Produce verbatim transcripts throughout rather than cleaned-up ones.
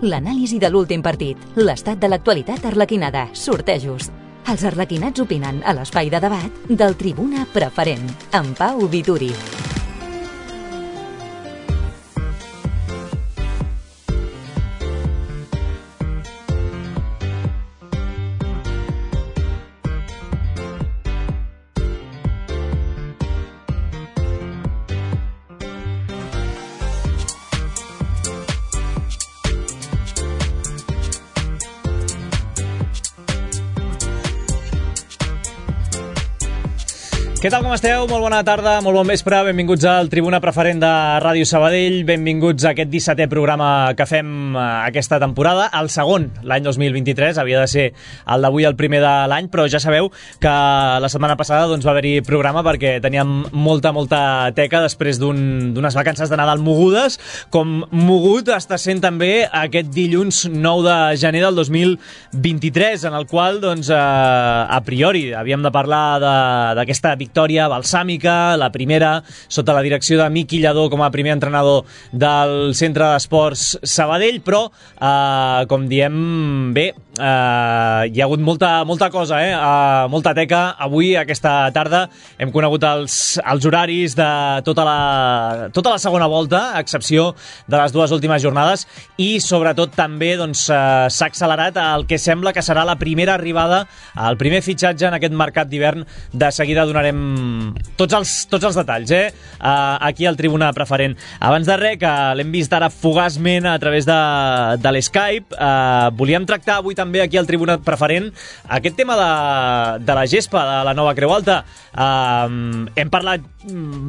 l'anàlisi de l'últim partit, l'estat de l'actualitat arlequinada, sortejos. Els arlequinats opinen a l'espai de debat del Tribuna Preferent, amb Pau Vituri. Què tal, com esteu? Molt bona tarda, molt bon vespre, benvinguts al Tribuna Preferent de Ràdio Sabadell, benvinguts a aquest dissetè programa que fem aquesta temporada, el segon, l'any dos mil vint-i-tres, havia de ser el d'avui el primer de l'any, però ja sabeu que la setmana passada doncs, va haver-hi programa perquè teníem molta, molta teca després d'unes un, vacances de Nadal mogudes, com mogut està sent també aquest dilluns nou de gener del dos mil vint-i-tres, en el qual, doncs, a, a priori, havíem de parlar d'aquesta victòria victòria balsàmica, la primera sota la direcció de Miqui Lladó com a primer entrenador del Centre d'Esports Sabadell, però eh, com diem bé, eh, hi ha hagut molta, molta cosa, eh? eh, molta teca. Avui, aquesta tarda, hem conegut els, els horaris de tota la, tota la segona volta, a excepció de les dues últimes jornades, i sobretot també doncs, eh, s'ha accelerat el que sembla que serà la primera arribada, el primer fitxatge en aquest mercat d'hivern. De seguida donarem tots els, tots els detalls, eh? Uh, aquí al Tribuna Preferent. Abans de res, que l'hem vist ara fugaçment a través de, de l'Skype, uh, volíem tractar avui també aquí al Tribuna Preferent aquest tema de, de la gespa, de la nova Creu Alta. Uh, hem parlat,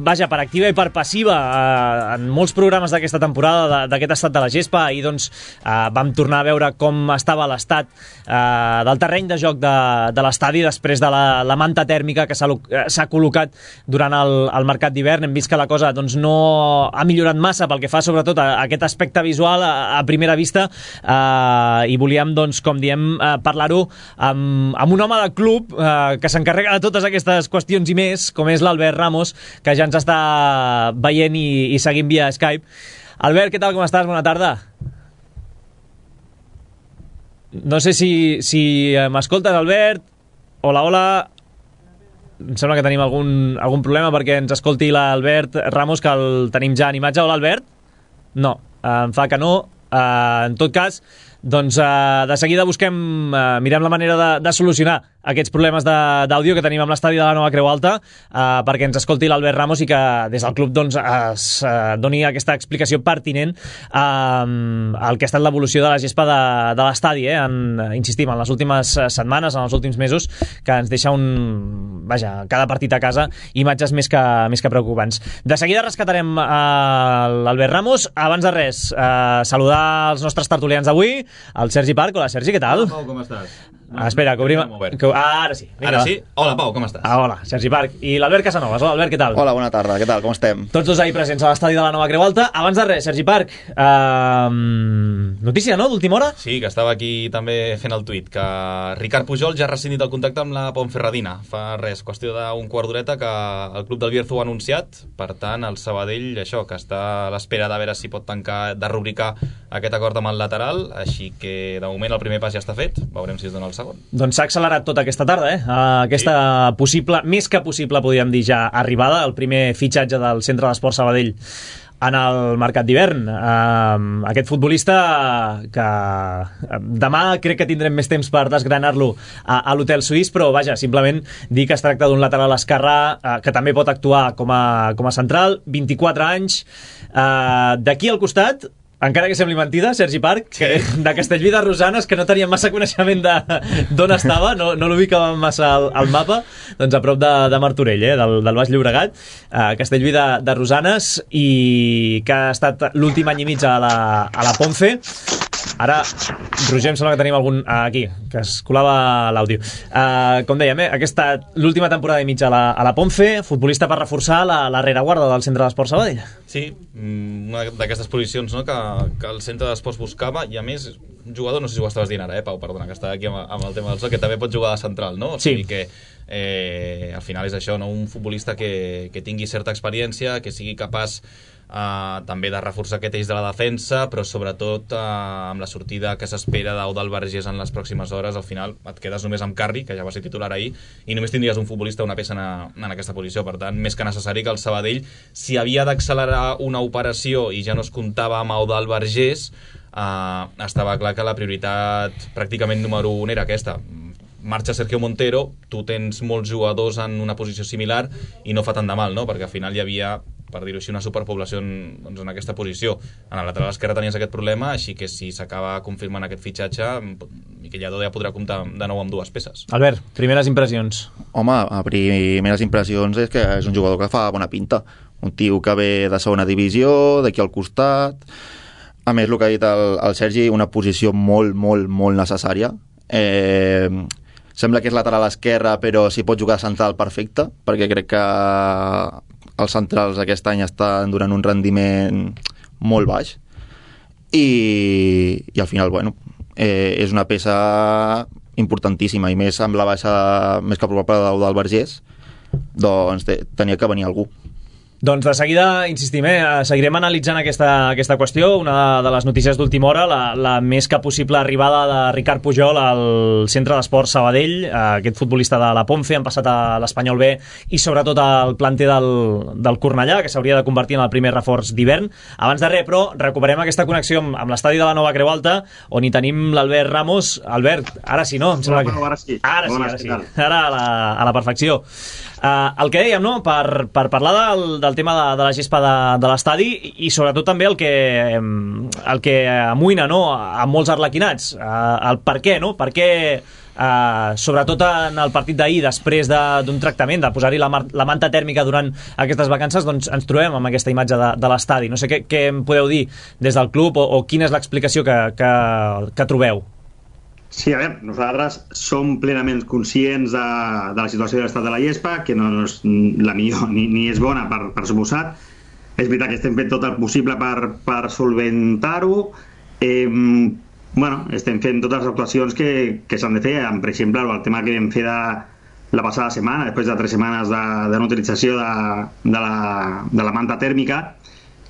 vaja, per activa i per passiva uh, en molts programes d'aquesta temporada d'aquest estat de la gespa, i doncs uh, vam tornar a veure com estava l'estat uh, del terreny de joc de, de l'estadi després de la, la manta tèrmica que s'ha col·locat durant el, el mercat d'hivern. Hem vist que la cosa doncs, no ha millorat massa pel que fa sobretot a, a aquest aspecte visual a, a primera vista, eh, i volíem, doncs, com diem, eh, parlar-ho amb, amb un home de club eh, que s'encarrega de totes aquestes qüestions i més, com és l'Albert Ramos, que ja ens està veient i, i seguint via Skype. Albert, què tal, com estàs? Bona tarda. No sé si, si m'escoltes, Albert. Hola, hola. Em sembla que tenim algun, algun problema perquè ens escolti l'Albert Ramos, que el tenim ja en imatge. Hola, Albert? No, em fa que no. Uh, en tot cas, doncs uh, de seguida busquem, uh, mirem la manera de, de solucionar aquests problemes d'àudio que tenim amb l'estadi de la nova Creu Alta, uh, perquè ens escolti l'Albert Ramos i que des del club doncs, es uh, doni aquesta explicació pertinent uh, al que ha estat l'evolució de la gespa de, de l'estadi, eh? en, insistim, en les últimes setmanes, en els últims mesos, que ens deixa un, vaja, cada partit a casa, imatges més que, més que preocupants. De seguida rescatarem uh, l'Albert Ramos. Abans de res, uh, saludar els nostres tertulians d'avui, el Sergi Parc. Hola, Sergi, què tal? Hola, Pau, com estàs? Ah, espera, que obrim... Que... Ah, ara sí. Vinga, ara sí? Hola, Pau, com estàs? Ah, hola, Sergi Parc. I l'Albert Casanovas. Hola, Albert, què tal? Hola, bona tarda, què tal, com estem? Tots dos ahir presents a l'estadi de la nova Creu Alta. Abans de res, Sergi Parc, uh, notícia, no?, d'última hora? Sí, que estava aquí també fent el tuit, que Ricard Pujol ja ha rescindit el contacte amb la Ponferradina. Fa res, qüestió d'un quart d'horeta que el club del Bierzo ho ha anunciat. Per tant, el Sabadell, això, que està a l'espera de veure si pot tancar, de rubricar aquest acord amb el lateral, així que de moment el primer pas ja està fet, veurem si es dona el segon. Doncs s'ha accelerat tota aquesta tarda, eh? Aquesta sí. possible, més que possible, podríem dir ja, arribada, el primer fitxatge del Centre d'Esports Sabadell en el mercat d'hivern. Uh, aquest futbolista que demà crec que tindrem més temps per desgranar-lo a, a l'Hotel Suís, però vaja, simplement dir que es tracta d'un lateral esquerrà uh, que també pot actuar com a, com a central, vint-i-quatre anys, uh, d'aquí al costat, encara que sembli mentida, Sergi Parc, que de Castellví de Rosanes, que no tenia massa coneixement d'on estava, no, no l'ubicàvem massa al, al mapa, doncs a prop de, de Martorell, eh, del, del Baix Llobregat, eh, Castellví de, de Rosanes, i que ha estat l'últim any i mig a la, a la Ponce. Ara, Roger, em sembla que tenim algun... Ah, aquí, que es colava l'àudio. Uh, com dèiem, eh, aquesta l'última temporada i mitja a la, a la Ponce, futbolista per reforçar la, la rereguarda del Centre d'Esports Sabadell. Sí, una d'aquestes posicions, no?, que, que el Centre d'Esports buscava, i a més, un jugador, no sé si ho estaves dient ara, eh, Pau, perdona, que està aquí amb, amb el tema del sol, que també pot jugar de central, no? O sigui sí. que eh, al final és això, no? Un futbolista que, que tingui certa experiència, que sigui capaç Uh, també de reforçar aquest eix de la defensa, però sobretot uh, amb la sortida que s'espera d'Eudald Vergés en les pròximes hores, al final et quedes només amb Carri, que ja va ser titular ahir, i només tindries un futbolista, una peça en, en aquesta posició. Per tant, més que necessari que el Sabadell, si havia d'accelerar una operació i ja no es comptava amb Eudald Vergés, uh, estava clar que la prioritat pràcticament número un era aquesta. Marxa Sergio Montero, tu tens molts jugadors en una posició similar i no fa tant de mal, no? Perquè al final hi havia, per dir-ho així, una superpoblació en, doncs, en aquesta posició. En el lateral esquerre tenies aquest problema, així que si s'acaba confirmant aquest fitxatge, Miquel Lladó ja podrà comptar de nou amb dues peces. Albert, primeres impressions. Home, a primeres impressions és que és un jugador que fa bona pinta. Un tio que ve de segona divisió, d'aquí al costat. A més, el que ha dit el, el Sergi, una posició molt, molt, molt necessària. Eh... Sembla que és lateral esquerra, però si pot jugar central, perfecte, perquè crec que els centrals aquest any estan donant un rendiment molt baix. I, i al final, bueno, eh, és una peça importantíssima, i més amb la baixa més que probable d'Eudald Vergés, doncs te, tenia que venir algú. Doncs de seguida, insistim, eh, seguirem analitzant aquesta, aquesta qüestió. Una de les notícies d'última hora, la, la més que possible arribada de Ricard Pujol al Centre d'Esports Sabadell, eh, aquest futbolista de la Ponce, han passat a l'Espanyol B i sobretot al planter del, del Cornellà, que s'hauria de convertir en el primer reforç d'hivern. Abans de res, però, recuperem aquesta connexió amb, amb l'estadi de la Nova Creu Alta, on hi tenim l'Albert Ramos. Albert, ara sí, no? Em sembla que... Ara sí. Ara sí, ara sí. Ara a la, a la perfecció. Uh, el que dèiem, no? per, per parlar del, del tema de, de la gespa de, de l'estadi i sobretot també el que, el que amoïna, no? A molts arlequinats, uh, el per què, no? Per què, uh, sobretot en el partit d'ahir, després d'un de, tractament, de posar-hi la, la manta tèrmica durant aquestes vacances, doncs ens trobem amb aquesta imatge de, de l'estadi. No sé què, què em podeu dir des del club o, o quina és l'explicació que, que, que trobeu. Sí, a veure, nosaltres som plenament conscients de, de la situació de l'estat de la gespa, que no és la millor ni, ni és bona, per, per suposat. És veritat que estem fent tot el possible per, per solventar-ho. Eh, bueno, estem fent totes les actuacions que, que s'han de fer. Per exemple, el tema que vam fer de la passada setmana, després de tres setmanes de, de no utilització de, de, la, de la manta tèrmica,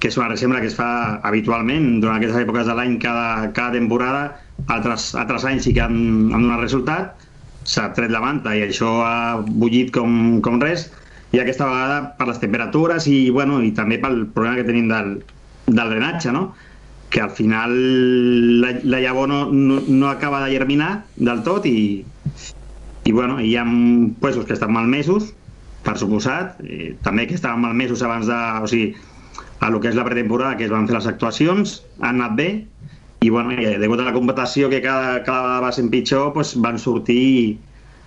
que és una reserva que es fa habitualment durant aquestes èpoques de l'any cada, cada temporada. Altres, altres anys sí que han, han donat resultat, s'ha tret la manta i això ha bullit com, com res, i aquesta vegada per les temperatures i, bueno, i també pel problema que tenim del, del drenatge, no? Que al final la, la llavor no, no, no acaba de germinar del tot i, i, bueno, hi ha puestos que estan malmesos, per suposat, eh, també que estaven malmesos abans de... O sigui, a lo que és la pretemporada, que es van fer les actuacions, han anat bé, i bueno, degut a la competició que cada, cada vegada va sent pitjor, pues van sortir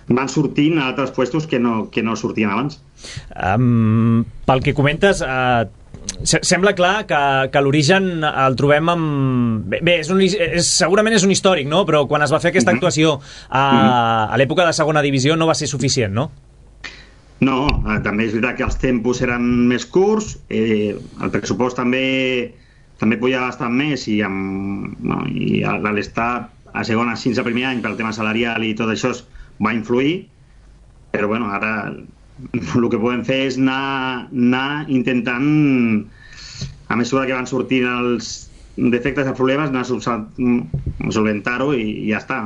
van sortint a altres puestos que no, que no sortien abans. Um, pel que comentes, uh, sembla clar que, que l'origen el trobem amb... Bé, bé és un, és, segurament és un històric, no? Però quan es va fer aquesta actuació a, a l'època de segona divisió no va ser suficient, no? No, també és veritat que els tempos eren més curts, eh, el pressupost també també podia bastant més i, amb, no, i a l'estar a segona fins al primer any pel tema salarial i tot això va influir, però bueno, ara el que podem fer és anar, anar intentant, a mesura que van sortint els defectes i problemes, anar a solventar-ho i, i ja està.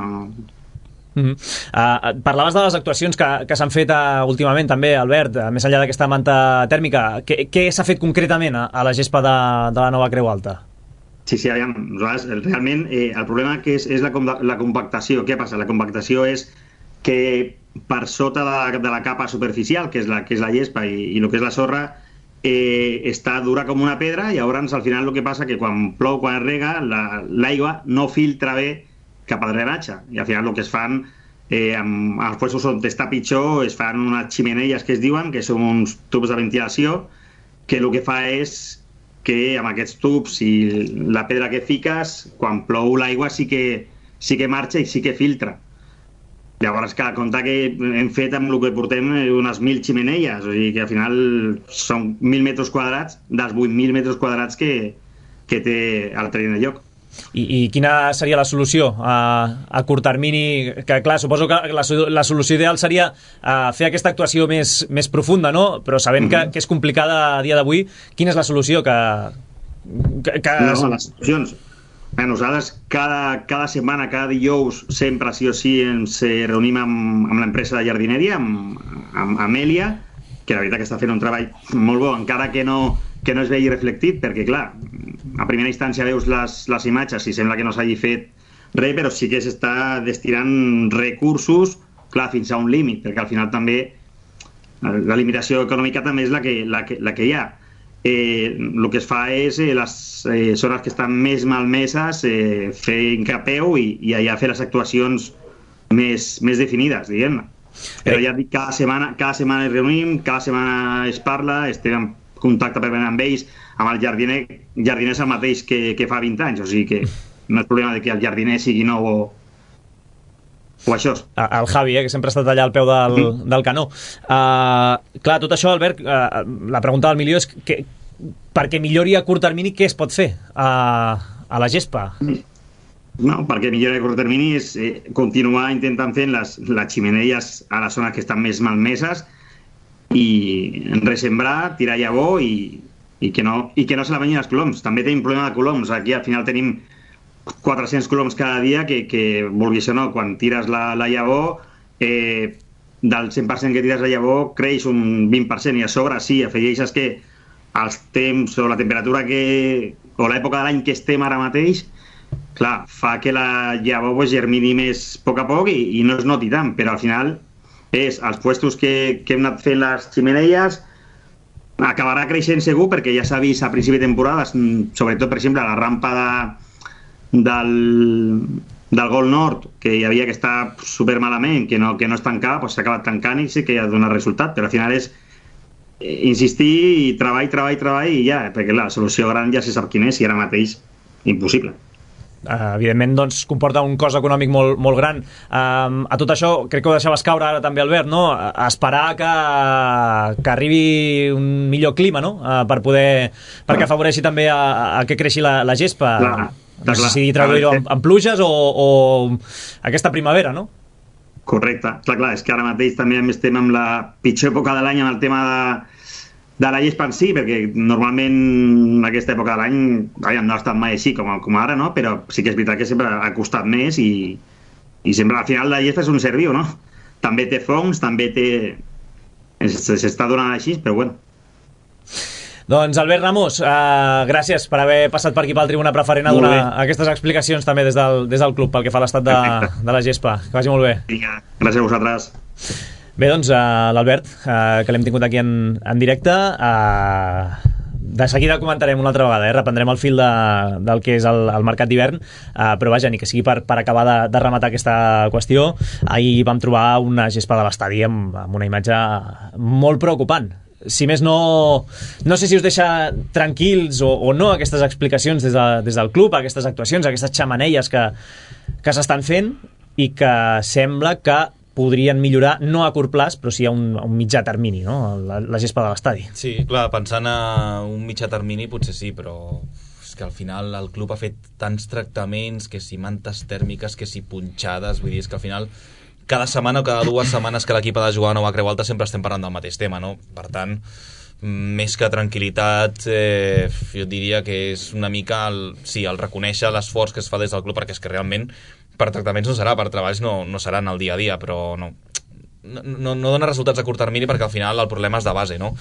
Mm-hmm. uh, parlaves de les actuacions que, que s'han fet uh, últimament també, Albert, uh, més enllà d'aquesta manta tèrmica, què, què s'ha fet concretament a, a la gespa de, de la Nova Creu Alta? Sí, sí, aviam, nosaltres, realment eh, el problema que és, és la, la compactació. Què passa? La compactació és que per sota de, de la capa superficial, que és la, que és la gespa i, i el que és la sorra, eh, està dura com una pedra, i llavors al final el que passa que quan plou, quan es rega, l'aigua la, no filtra bé cap al drenatge, i al final el que es fan eh, amb els puestos on està pitjor es fan unes ximeneies que es diuen, que són uns tubs de ventilació, que el que fa és que amb aquests tubs i la pedra que fiques, quan plou l'aigua sí que, sí que marxa i sí que filtra. Llavors, clar, compte que hem fet amb el que portem unes mil ximeneies, o sigui que al final són mil metres quadrats dels vuit mil metres quadrats que, que té el terreny de lloc. I, i quina seria la solució a, a curt termini? Que clar, suposo que la, la solució ideal seria uh, fer aquesta actuació més, més profunda, no? Però sabent mm-hmm. que, que és complicada a dia d'avui, quina és la solució que... que, que... No, les solucions... Bé, nosaltres cada, cada setmana, cada dijous, sempre sí o sí ens reunim amb, amb l'empresa de jardineria, amb, amb Amèlia, que la veritat que està fent un treball molt bo, encara que no, que no es vegi reflectit, perquè clar, a primera instància veus les, les imatges i sembla que no s'hagi fet res, però sí que s'està destinant recursos, clar, fins a un límit, perquè al final també la limitació econòmica també és la que, la que, la que hi ha. Eh, el que es fa és eh, les eh, zones que estan més malmeses eh, fer incapeu i, i allà fer les actuacions més, més definides, diguem-ne. Però ja dic, cada setmana, cada setmana es reunim, cada setmana es parla, estem en contacte permanent amb ells, amb el jardiner, jardiner és el mateix que, que fa vint anys, o sigui que no és problema de que el jardiner sigui nou o, o això. El Javi, eh, que sempre ha estat allà al peu del, mm. del canó. Uh, clar, tot això, Albert, uh, la pregunta del milió és que, perquè millori a curt termini, què es pot fer a, a la gespa? No, perquè millori a curt termini és eh, continuar intentant fer les, les ximeneies a les zones que estan més malmeses i resembrar, tirar llavor i, i, que no, i que no se la venyin els coloms. També tenim problema de coloms. Aquí al final tenim quatre-cents coloms cada dia que, que vulguis o no, quan tires la, la llavor, eh, del cent per cent que tires la llavor creix un vint per cent i a sobre sí, afegeixes que els temps o la temperatura que, o l'època de l'any que estem ara mateix, clar, fa que la llavor pues, germini més a poc a poc i, i no es noti tant, però al final és els puestos que, que hem anat fent les ximeneies acabarà creixent segur perquè ja s'ha vist a principi de temporada, sobretot per exemple la rampa de del, del Gol Nord, que hi havia que estar super malament, que no, que no es tancava, doncs s'ha acabat tancant i sí que ha donat resultat, però al final és insistir i treball, treball, treball i ja, perquè la solució gran ja se sap quina és i ara mateix impossible. Uh, evidentment doncs comporta un cost econòmic molt, molt gran. Uh, a tot això crec que ho deixaves caure ara també, Albert, no? A esperar que, que arribi un millor clima, no? Uh, per poder, perquè afavoreixi també a, a que creixi la, la gespa. Clar, no sé si traduir-ho en, en pluges o, o aquesta primavera, no? Correcte, clar, clar, és que ara mateix també estem amb la pitjor època de l'any amb el tema de, de la gespa en si, perquè normalment aquesta època de l'any no ha estat mai així com, com ara, no? Però sí que és veritat que sempre ha costat més i, i sempre al final la gespa és un ser viu, no? També té fongs, també té... s'està donant així, però bueno. Doncs Albert Ramos, uh, gràcies per haver passat per aquí pel Tribuna Preferent a donar aquestes explicacions també des del, des del club pel que fa a l'estat de, de la gespa. Que vagi molt bé. Vinga, gràcies a vosaltres. Bé, doncs uh, l'Albert, uh, que l'hem tingut aquí en, en directe, uh, de seguida comentarem una altra vegada, eh? Reprendrem el fil de, del que és el, el mercat d'hivern, uh, però vaja, ni que sigui per, per acabar de, de rematar aquesta qüestió. Ahir vam trobar una gespa de l'estadi amb, amb una imatge molt preocupant. Si més no, no sé si us deixa tranquils o, o no aquestes explicacions des, de, des del club, aquestes actuacions, aquestes xamaneies que, que s'estan fent i que sembla que podrien millorar, no a curt plaç, però sí a un, a un mitjà termini, no? La, la gespa de l'estadi. Sí, clar, pensant a un mitjà termini potser sí, però és que al final el club ha fet tants tractaments, que si mantes tèrmiques, que si punxades, vull dir, és que al final cada setmana o cada dues setmanes que l'equip ha de jugar a Nova Creu Alta sempre estem parlant del mateix tema, no? Per tant, més que tranquil·litat, eh, jo diria que és una mica el, sí, el reconèixer l'esforç que es fa des del club, perquè és que realment per tractaments no serà, per treballs no, no seran el dia a dia, però no, no, no dona resultats a curt termini perquè al final el problema és de base, no?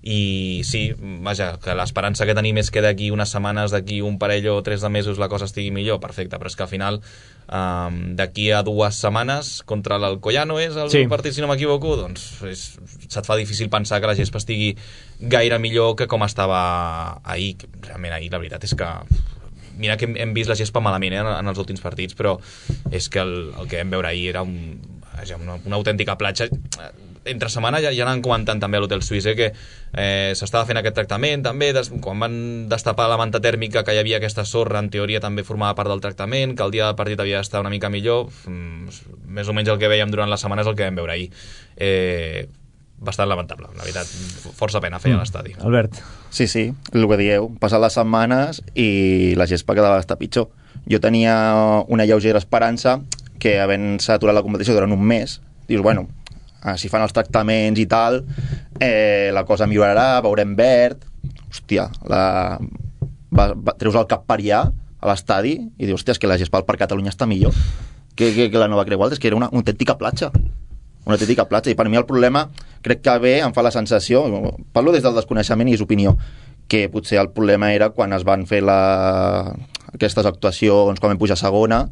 I sí, vaja, que l'esperança que tenim és que d'aquí unes setmanes, d'aquí un parell o tres de mesos la cosa estigui millor, perfecte, però és que al final um, d'aquí a dues setmanes contra l'Alcoyano és el sí. partit, si no m'equivoco, doncs és, se't fa difícil pensar que la gespa estigui gaire millor que com estava ahir. Realment ahir la veritat és que mira que hem, hem vist la gespa malament eh, en els últims partits, però és que el, el que vam veure ahir era un, una, una autèntica platja. Entre setmana ja, ja anàvem comentant també a l'Hotel Suisse eh, que eh, s'estava fent aquest tractament també, des, quan van destapar la manta tèrmica que hi havia aquesta sorra, en teoria també formava part del tractament, que el dia del partit havia d'estar una mica millor, mm, més o menys el que veiem durant la setmana és el que vam veure ahir. Eh, bastant lamentable, la veritat, força pena feia mm. l'estadi. Albert. Sí, sí, el que dieu, passat les setmanes i la gespa cada vegada està pitjor. jo tenia una lleugera esperança que havent-se aturat la competició durant un mes, dius, bueno, si fan els tractaments i tal, eh, la cosa millorarà, veurem verd, hòstia, la... va, va, treus el cap per allà a l'estadi i dius, hòstia, és que la gespa per Catalunya està millor que, que, que la Nova Creu Alta, és que era una, una autèntica platja una autèntica platja, i per mi el problema crec que bé em fa la sensació, parlo des del desconeixement i és opinió, que potser el problema era quan es van fer la... aquestes actuacions quan vam pujar a segona,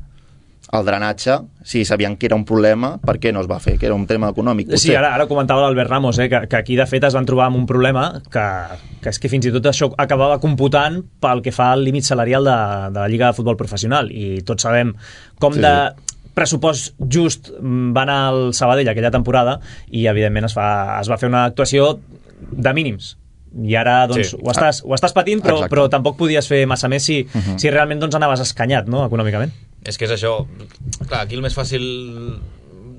el drenatge, si sabien que era un problema, per què no es va fer? Que era un tema econòmic, potser. Sí, ara, ara comentava l'Albert Ramos, eh, que, que aquí de fet es van trobar amb un problema que, que és que fins i tot això acabava computant pel que fa al límit salarial de, de la Lliga de Futbol Professional, i tots sabem com sí, de sí. pressupost just va anar al Sabadell aquella temporada, i evidentment es, fa, es va fer una actuació de mínims, i ara doncs, sí. ho, estàs, ho estàs patint, però, però tampoc podies fer massa més si, uh-huh. si realment doncs, anaves escanyat, no?, econòmicament. És que és això, clar, aquí el més fàcil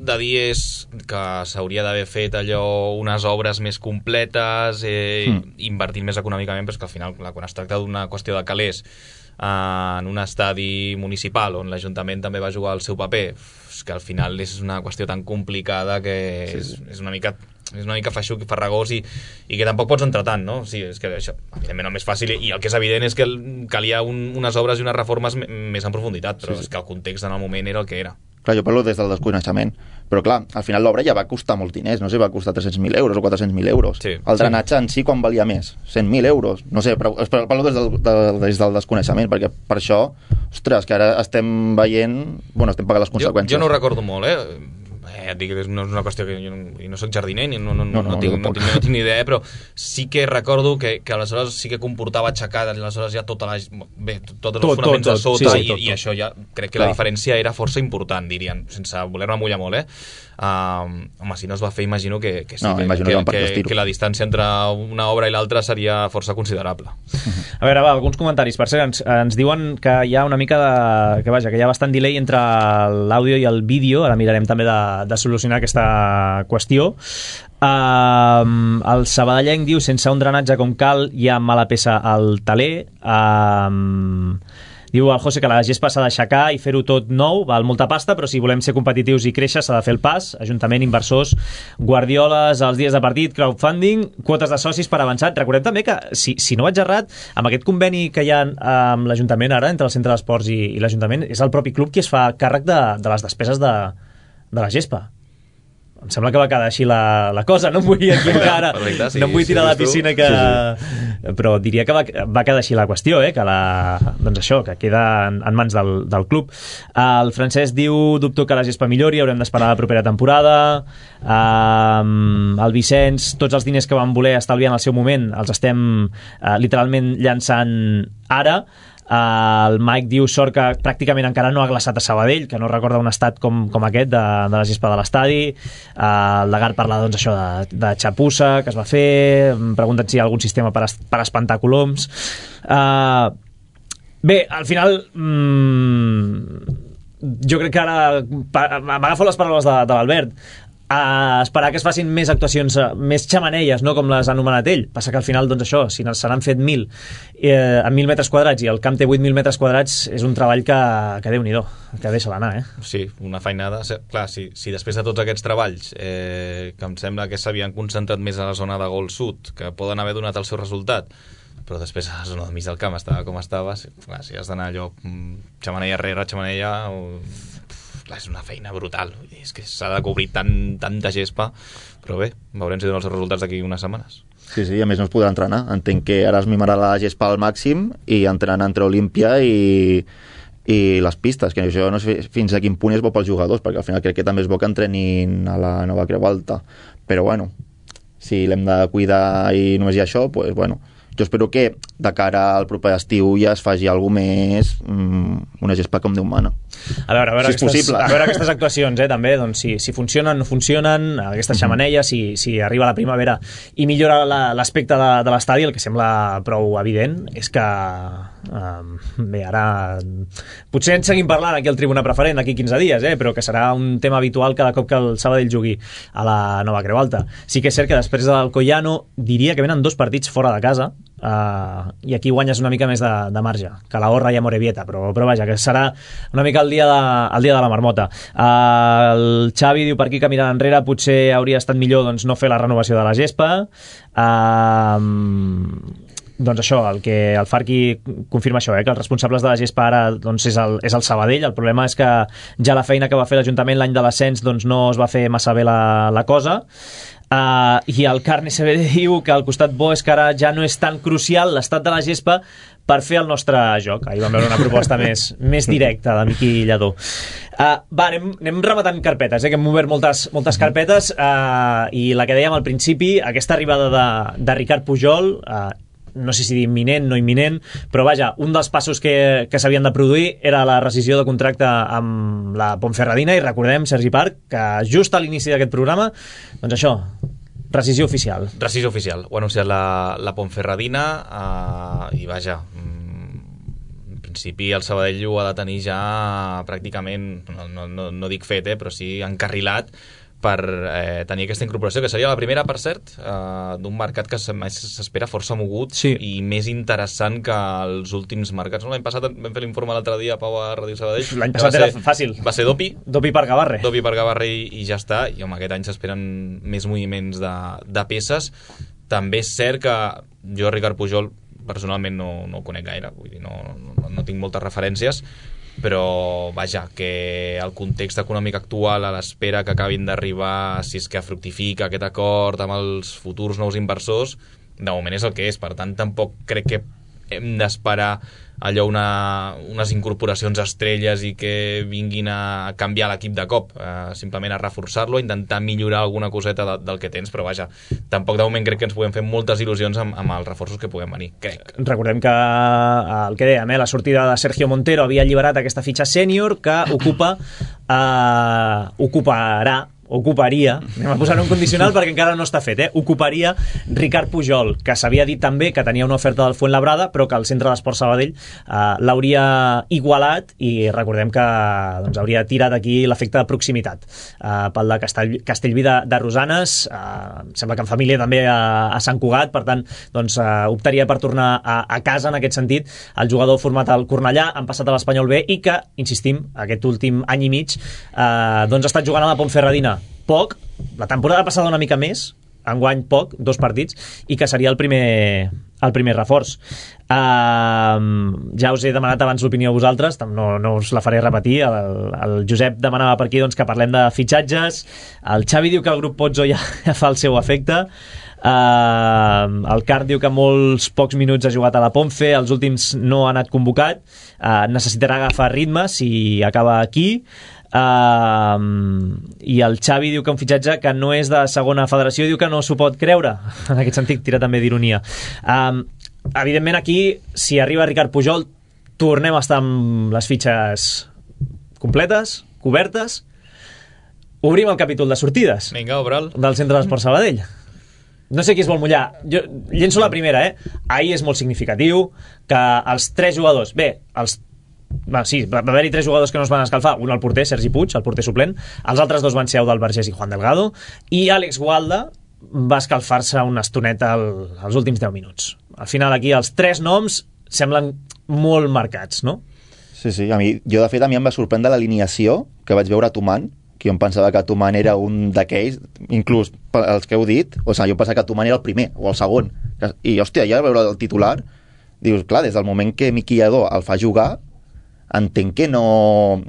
de dir és que s'hauria d'haver fet allò, unes obres més completes, eh, mm. invertint més econòmicament, però és que al final, clar, quan es tracta d'una qüestió de calés eh, en un estadi municipal on l'Ajuntament també va jugar el seu paper, és que al final és una qüestió tan complicada que sí. és, és una mica... és una mica feixuc i farragós i, i que tampoc pots entrar tant, no? Sí, és que això, evidentment, el més fàcil, i el que és evident és que calia un, unes obres i unes reformes més en profunditat, però sí, sí. és que el context en el moment era el que era. Clar, jo parlo des del desconeixement, però clar, al final l'obra ja va costar molts diners, no sé, va costar tres-cents mil euros o quatre-cents mil euros. Sí, el drenatge sí. en si quan valia més? cent mil euros? No sé, però, però parlo des del, de, des del desconeixement, perquè per això, ostres, que ara estem veient, bueno, estem pagant les conseqüències. Jo, jo no ho recordo molt, eh? Eh, et dic que no és una qüestió que jo no, no soc jardiner ni no, no, no, no, no, tinc, no, tinc, no tinc ni idea, però sí que recordo que, que aleshores sí que comportava aixecar aleshores ja tota la, bé, tots els tot, fonaments tot, tot. de sota, sí, sí, tot, i, tot. I això ja crec que Clar. La diferència era força important, dirien, sense voler-me mullar molt, eh? Uh, home, si no es va fer, imagino que, que sí, no, que, que, que, que, que la distància entre una obra i l'altra seria força considerable. A veure, va, alguns comentaris. Per cert, ens, ens diuen que hi ha una mica de... que vaja, que hi ha bastant delay entre l'àudio i el vídeo. Ara mirarem també de, de solucionar aquesta qüestió. Uh, el sabadellenc diu, sense un drenatge com cal hi ha mala peça al taler. Uh, diu el José que la gespa s'ha d'aixecar i fer-ho tot nou, val molta pasta, però si volem ser competitius i créixer s'ha de fer el pas. Ajuntament, inversors, guardioles als dies de partit, crowdfunding, quotes de socis per avançat. Recordem també que, si, si no vaig errat, amb aquest conveni que hi ha amb l'Ajuntament ara, entre el Centre d'Esports i, i l'Ajuntament, és el propi club qui es fa càrrec de, de les despeses de, de la gespa. Em sembla que va quedar així la, la cosa, no em vull equivocar ara, Perfecte, sí, no em vull tirar sí, a la piscina que... Sí, sí. Però diria que va, va quedar així la qüestió, eh? Que la, doncs això, que queda en, en mans del, del club. El Francesc diu, dubto que la gespa millori, haurem d'esperar la propera temporada. Um, el Vicenç, tots els diners que vam voler estalviar en el seu moment els estem uh, literalment llançant ara. Uh, el Mike diu, sort que pràcticament encara no ha glaçat a Sabadell, que no recorda un estat com, com aquest de, de la gespa de l'estadi. Uh, el Lagar parla doncs això de, de xapussa que es va fer, pregunten si hi ha algun sistema per, es, per espantar coloms. Uh, bé, al final mmm, jo crec que ara m'agafo les paraules de, de l'Albert, a esperar que es facin més actuacions, més xamanelles, no com les ha anomenat ell. Passa que al final, doncs això, si se n'han fet mil eh, a mil metres quadrats i el camp té vuit mil metres quadrats, és un treball que, que Déu-n'hi-do, que deixa l'anar, eh? Sí, una feinada. Clar, si, si després de tots aquests treballs, eh, que em sembla que s'havien concentrat més a la zona de gol sud, que poden haver donat el seu resultat, però després a la zona del mig del camp estava com estava, si, clar, si has d'anar allò xamanella rere xamanella... O... Clar, és una feina brutal, és que s'ha de cobrir tant, tanta gespa, però bé, veurem si donen els resultats d'aquí unes setmanes. Sí, sí, a més no es podrà entrenar, entenc que ara es mimarà la gespa al màxim i entraran entre Olímpia i, i les pistes, que això no sé fins a quin punt és bo pels jugadors, perquè al final crec que també és bo que entrenin a la Nova Creu Alta, però bueno, si l'hem de cuidar i només hi ha això, doncs bueno, jo espero que de cara al proper estiu ja es faci alguna més, mmm, una gespa com Déu mana. A veure, a veure, si aquestes, a veure aquestes actuacions, eh, també, doncs, si, si funcionen, no funcionen, aquestes xamanelles, si, si arriba la primavera i millora l'aspecte de, de l'estadi, el que sembla prou evident és que um, bé, ara potser en seguim parlant aquí al Tribuna Preferent d'aquí quinze dies, eh, però que serà un tema habitual cada cop que el Sabadell jugui a la Nova Creu Alta. Sí que és cert que després de l'Alcoyano diria que venen dos partits fora de casa, uh, i aquí guanyes una mica més de, de marge que la Horra i Amorebieta, però, però vaja, que serà una mica el dia de, el dia de la marmota. Uh, el Xavi diu per aquí que mirant enrere potser hauria estat millor doncs, no fer la renovació de la gespa. uh, doncs això, el que el Farqui confirma això, eh, que els responsables de la gespa ara doncs, és, el, és el Sabadell. El problema és que ja la feina que va fer l'Ajuntament l'any de l'ascens doncs, no es va fer massa bé la, la cosa. Uh, i el Carne S B D diu que al costat bo és que ara ja no és tan crucial l'estat de la gespa per fer el nostre joc. Ahir vam veure una proposta més, més directa de Miqui Lladó. Uh, va, anem, anem rematant carpetes, eh, que hem obert moltes, moltes carpetes, uh, i la que dèiem al principi, aquesta arribada de, de Ricard Pujol, uh, no sé si dir imminent, no imminent, però vaja, un dels passos que, que s'havien de produir era la rescisió de contracte amb la Ponferradina, i recordem, Sergi Parc, que just a l'inici d'aquest programa, doncs això, rescisió oficial. Rescisió oficial, ho ha anunciat la, la Ponferradina, uh, i vaja, en principi el Sabadell ho ha de tenir ja pràcticament, no, no, no, no dic fet, eh, però sí encarrilat, per eh, tenir aquesta incorporació, que seria la primera, per cert, eh, d'un mercat que s'espera força mogut, sí, i més interessant que els últims mercats. L'any passat vam fer l'informe l'altre dia a Pau a Ràdio Sabadell. L'any passat era fàcil. Va ser Dopi. Dopi per Gavarre. Dopi per Gavarre i, i ja està. I home, aquest any s'esperen més moviments de, de peces. També és cert que jo, Ricard Pujol, personalment no, no ho conec gaire, vull dir, no, no, no tinc moltes referències, però vaja, que el context econòmic actual, a l'espera que acabin d'arribar, si és que fructifica aquest acord amb els futurs nous inversors, de moment és el que és. Per tant, tampoc crec que hem d'esperar allò una, unes incorporacions estrelles i que vinguin a canviar l'equip de cop, eh, simplement a reforçar-lo, a intentar millorar alguna coseta de, del que tens, però vaja, tampoc de moment crec que ens puguem fer moltes il·lusions amb, amb els reforços que puguem venir, crec. Recordem que el que dèiem, eh, la sortida de Sergio Montero havia alliberat aquesta fitxa sènior que ocupa eh, ocuparà ocuparia, anem a posar un condicional perquè encara no està fet, eh? ocuparia Ricard Pujol, que s'havia dit també que tenia una oferta del Fuenlabrada, però que el Centre d'Esports Sabadell eh, l'hauria igualat, i recordem que doncs, hauria tirat aquí l'efecte de proximitat eh, pel de Castell, Castellví de, de Rosanes, eh, sembla que en família també a, a Sant Cugat, per tant doncs, eh, optaria per tornar a, a casa en aquest sentit. El jugador format al Cornellà, han passat a l'Espanyol B, i que, insistim, aquest últim any i mig eh, doncs ha estat jugant a la Ponferradina poc, la temporada passada una mica més, enguany poc, dos partits, i que seria el primer, el primer reforç. Uh, ja us he demanat abans l'opinió a vosaltres, no, no us la faré repetir. El, el Josep demanava per aquí doncs, que parlem de fitxatges, el Xavi diu que el grup Pozzo ja, ja fa el seu efecte, uh, el Car diu que molts pocs minuts ha jugat a la Ponfe, els últims no ha anat convocat, uh, necessitarà agafar ritme si acaba aquí. Uh, i el Xavi diu que un fitxatge que no és de segona federació, diu que no s'ho pot creure, en aquest sentit tira també d'ironia. Uh, evidentment aquí, si arriba Ricard Pujol, tornem a estar amb les fitxes completes, cobertes, obrim el capítol de sortides. Vinga, obre'l. Del Centre d'Esports Sabadell. No sé qui es vol mullar, jo llenço la primera, eh? Ahir és molt significatiu que els tres jugadors, bé, els Va, sí, va haver-hi tres jugadors que no es van escalfar, un el porter, Sergi Puig, el porter suplent, els altres dos van ser Eudald Vergés i Juan Delgado, i Àlex Gualda va escalfar-se una estoneta al, als últims deu minuts. Al final aquí els tres noms semblen molt marcats, no? Sí, sí, a mi, jo de fet a mi em va sorprendre l'alineació que vaig veure a Tuman, que jo em pensava que Tuman era un d'aquells, inclús els que heu dit, o sigui, jo em pensava que Tuman era el primer o el segon, i hòstia, ja veure el titular, dius, clar, des del moment que Miqui Lladó el fa jugar, entenc que no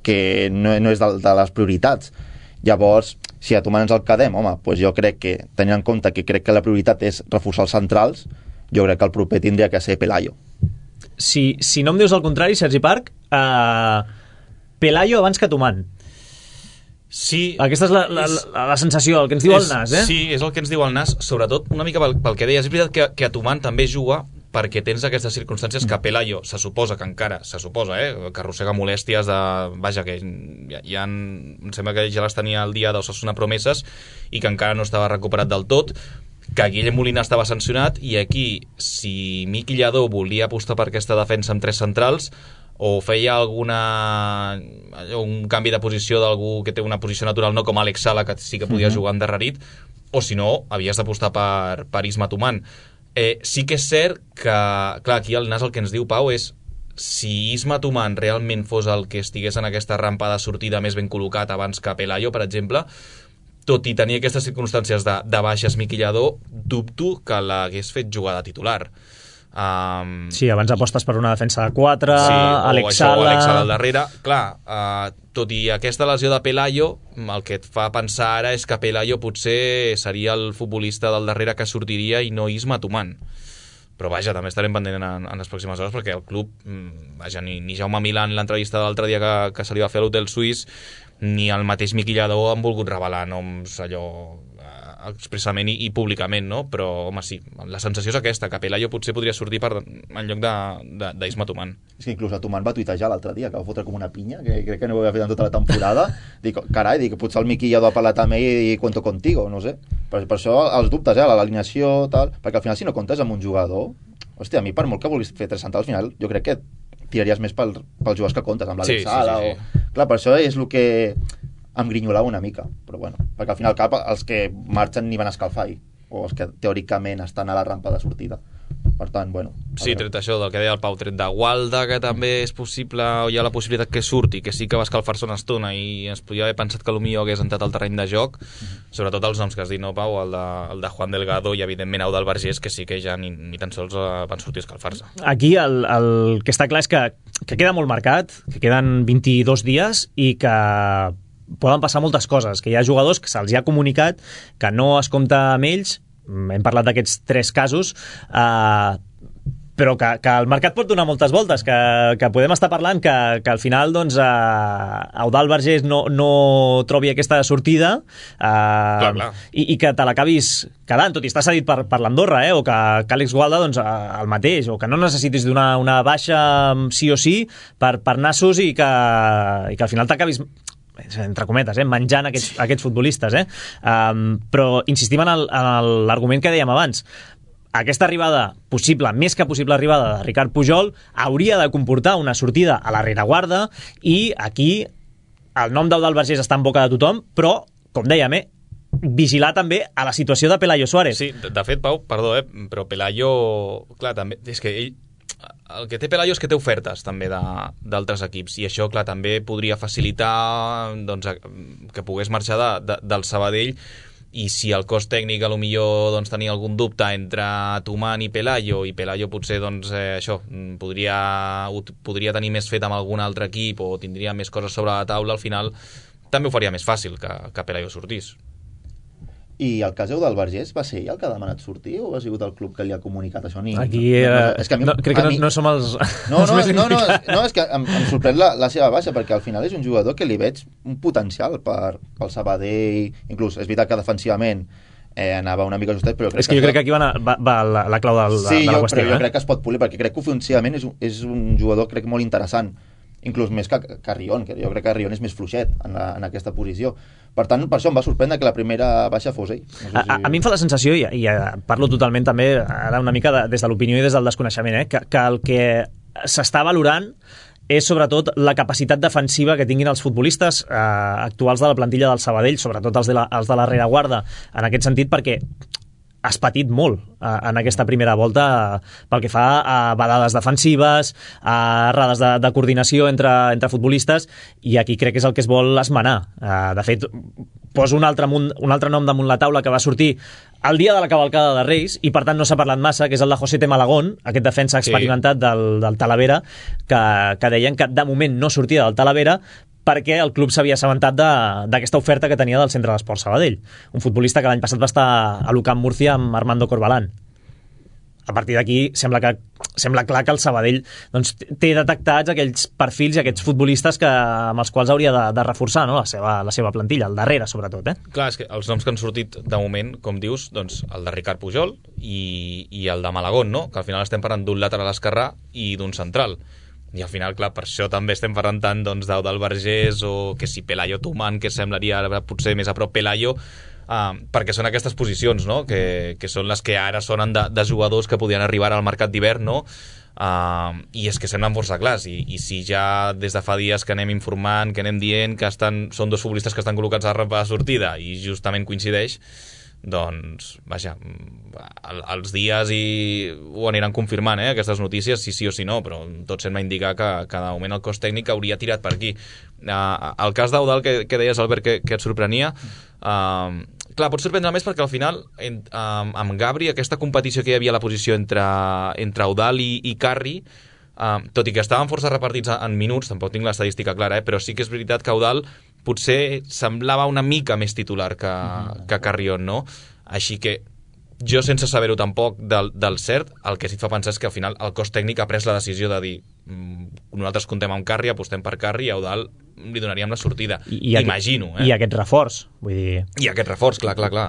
que no, no és de, de les prioritats. Llavors, si a Tuman ens el quedem, home, doncs jo crec que, tenint en compte que crec que la prioritat és reforçar els centrals, jo crec que el proper tindria que ser Pelayo. Si, si no em dius el contrari, Sergi Parc, uh, Pelayo abans que Tuman. Sí. Aquesta és la, la, la, la sensació, el que ens diu és, el Nas, eh? Sí, és el que ens diu el Nas, sobretot una mica pel, pel que deies. És veritat que, que a Tuman també juga perquè tens aquestes circumstàncies que Pelayo se suposa que encara, se suposa, eh, que arrossega molèsties de... Vaja, que ja, ja en, em sembla que ja les tenia el dia d'Osasuna promeses i que encara no estava recuperat del tot, que Guillem Molina estava sancionat, i aquí, si Miqui Lladó volia apostar per aquesta defensa amb tres centrals, o feia alguna un canvi de posició d'algú que té una posició natural, no com Àlex Sala, que sí que podia uh-huh. jugar endarrerit, o si no, havies d'apostar per, per Isma Tuman. Eh, sí que és cert que, clar, aquí el Nas el que ens diu, Pau, és si Isma Tuman realment fos el que estigués en aquesta rampa de sortida més ben col·locat abans que Pelayo, per exemple, tot i tenir aquestes circumstàncies de, de baixes Miquillador, dubto que l'hagués fet jugar de titular. Um, sí, abans apostes per una defensa de quatre, sí, Alex Sala... o Alex Sala al darrere. Clar, uh, tot i aquesta lesió de Pelayo, el que et fa pensar ara és que Pelayo potser seria el futbolista del darrere que sortiria i no Isma Tuman. Però vaja, també estarem pendent en, en les pròximes hores perquè el club, vaja, ni, ni Jaume Milà en l'entrevista de l'altre dia que, que se li va fer a l'Hotel Suís, ni el mateix Miquillador han volgut revelar noms allò expressament i, i públicament, no? Però, home, sí, la sensació és aquesta, que Pelayo potser podria sortir per, en lloc d'Isma Tuman. És que inclús el Tuman va tuitejar l'altre dia, que va fotre com una pinya, que crec que no ho havia fet en tota la temporada. Dic, carai, dic, potser el Miquillador ha parlat amb ell i cuento contigo, no sé. Per, per això els dubtes, eh, l'alineació, tal, perquè al final si no comptes amb un jugador, hòstia, a mi per molt que vulguis fer tres centrals, al final jo crec que tiraries més pel, pels jugadors que comptes, amb la sí, Sala sí, sí, sí. o... Clar, per això és el que em grinyolava una mica, però bueno, perquè al final cap els que marxen ni van a escalfar o els que teòricament estan a la rampa de sortida. Per tant, bueno... Sí, tret això del que deia el Pau, tret de Gualda, que també és possible, o hi ha la possibilitat que surti, que sí que va escalfar-se una estona i es podia haver pensat que potser hagués entrat al terreny de joc, uh-huh. Sobretot els noms que has dit, no, Pau? El de, el de Juan Delgado i, evidentment, Eudald Vergés, que sí que ja ni, ni tan sols van sortir a escalfar-se. Aquí el, el que està clar és que, que queda molt marcat, que queden vint-i-dos dies i que poden passar moltes coses, que hi ha jugadors que se'ls ha comunicat que no es compta amb ells, hem parlat d'aquests tres casos, eh, però que, que el mercat pot donar moltes voltes, que, que podem estar parlant que, que al final doncs, eh, Eudald Vergés no, no trobi aquesta sortida eh, clar, clar. I, i que te l'acabis quedant, tot i estar cedit per, per l'Andorra, eh, o que, que Àlex Gualda doncs, el mateix, o que no necessitis donar una baixa sí o sí per, per nassos i que, i que al final t'acabis entre cometes, eh, menjant aquests, aquests futbolistes, eh? Um, però insistim en l'argument que dèiem abans. Aquesta arribada possible, més que possible arribada de Ricard Pujol, hauria de comportar una sortida a la rereguarda i aquí el nom d'Eudald Vergés està en boca de tothom, però, com dèiem, eh, vigilar també a la situació de Pelayo Suárez. Sí, de, de fet, Pau, perdó, eh, però Pelayo, clar, també, és que ell el que té Pelayo és que té ofertes també d'altres equips i això, clar, també podria facilitar doncs, que pogués marxar de, de, del Sabadell i si el cos tècnic a lo millor doncs, tenia algun dubte entre Tuman i Pelayo i Pelayo potser doncs, eh, això, podria, podria tenir més fet amb algun altre equip o tindria més coses sobre la taula, al final també ho faria més fàcil que, que Pelayo sortís. I el cas del Vergés va ser ell el que ha demanat sortir o ha sigut el club que li ha comunicat això? Ni... Aquí eh, no, no, és que mi, no, crec que mi... no, no som els, no, els no, més no, no, no, és que em, em sorprèn la, la seva baixa perquè al final és un jugador que li veig un potencial per, pel Sabadell, inclús és veritat que defensivament eh, anava una mica justet, però crec és que, que jo crec que aquí va, anar, va, va la, la clau de, sí, de la jo, qüestió. Sí, jo eh? crec que es pot polir perquè crec que ofensivament és, és un jugador crec molt interessant, inclús més que, que Rion, que jo crec que Rion és més fluixet en, la, en aquesta posició. Per tant, per això em va sorprendre que la primera baixa fos ell. No sé si... a, a mi em fa la sensació, i, i parlo totalment també ara una mica de, des de l'opinió i des del desconeixement, eh, que, que el que s'està valorant és sobretot la capacitat defensiva que tinguin els futbolistes eh, actuals de la plantilla del Sabadell, sobretot els de la, els de la rereguarda, en aquest sentit, perquè has patit molt eh, en aquesta primera volta eh, pel que fa a badades defensives, a errades de, de coordinació entre, entre futbolistes, i aquí crec que és el que es vol esmenar. Eh, de fet, poso un altre, un altre nom damunt la taula que va sortir el dia de la cavalcada de Reis, i per tant no s'ha parlat massa, que és el de José T. Malagón, aquest defensa experimentat sí. del, del Talavera, que, que deien que de moment no sortia del Talavera, perquè el club s'havia assabentat d'aquesta oferta que tenia del Centre d'Esport Sabadell, un futbolista que l'any passat va estar a l'U Camp Murcia amb Armando Corbalán. A partir d'aquí sembla que sembla clar que el Sabadell doncs, té detectats aquells perfils i aquests futbolistes que, amb els quals hauria de, de reforçar, no? la, seva, la seva plantilla, al darrere sobretot. Eh? Clar, és que els noms que han sortit de moment, com dius, doncs el de Ricard Pujol i, i el de Malagón, no? Que al final estem parlant d'un lateral esquerrà i d'un central. I al final, clar, per això també estem parlant tant doncs, d'Eudald Vergés o que si Pelayo Tuman, que semblaria potser més a prop Pelayo, uh, perquè són aquestes posicions, no? que, que són les que ara sonen de, de jugadors que podien arribar al mercat d'hivern, no? Uh, i és que semblen força clars, i, i si ja des de fa dies que anem informant, que anem dient que estan, són dos futbolistes que estan col·locats a la rampa de sortida i justament coincideix, doncs, vaja, els dies i ho aniran confirmant, eh, aquestes notícies, si sí o si no, però tot sembla indicar que, que de moment el cos tècnic hauria tirat per aquí. Uh, el cas d'Eudald, que, que deies, Albert, que, que et sorprenia, uh, clar, pot sorprendre més perquè al final, en, um, amb Gabri, aquesta competició que hi havia a la posició entre, entre Eudald i, i Carri, uh, tot i que estaven força repartits en minuts, tampoc tinc l'estadística clara, eh, però sí que és veritat que Eudald potser semblava una mica més titular que, que Carrion, no? Així que jo, sense saber-ho tampoc del, del cert, el que sí et fa pensar és que al final el cos tècnic ha pres la decisió de dir nosaltres contem amb Carri, apostem per Carri, i a Eudald li donaríem la sortida. I, i imagino, eh? I aquest reforç, vull dir... I aquest reforç, clar, clar, clar.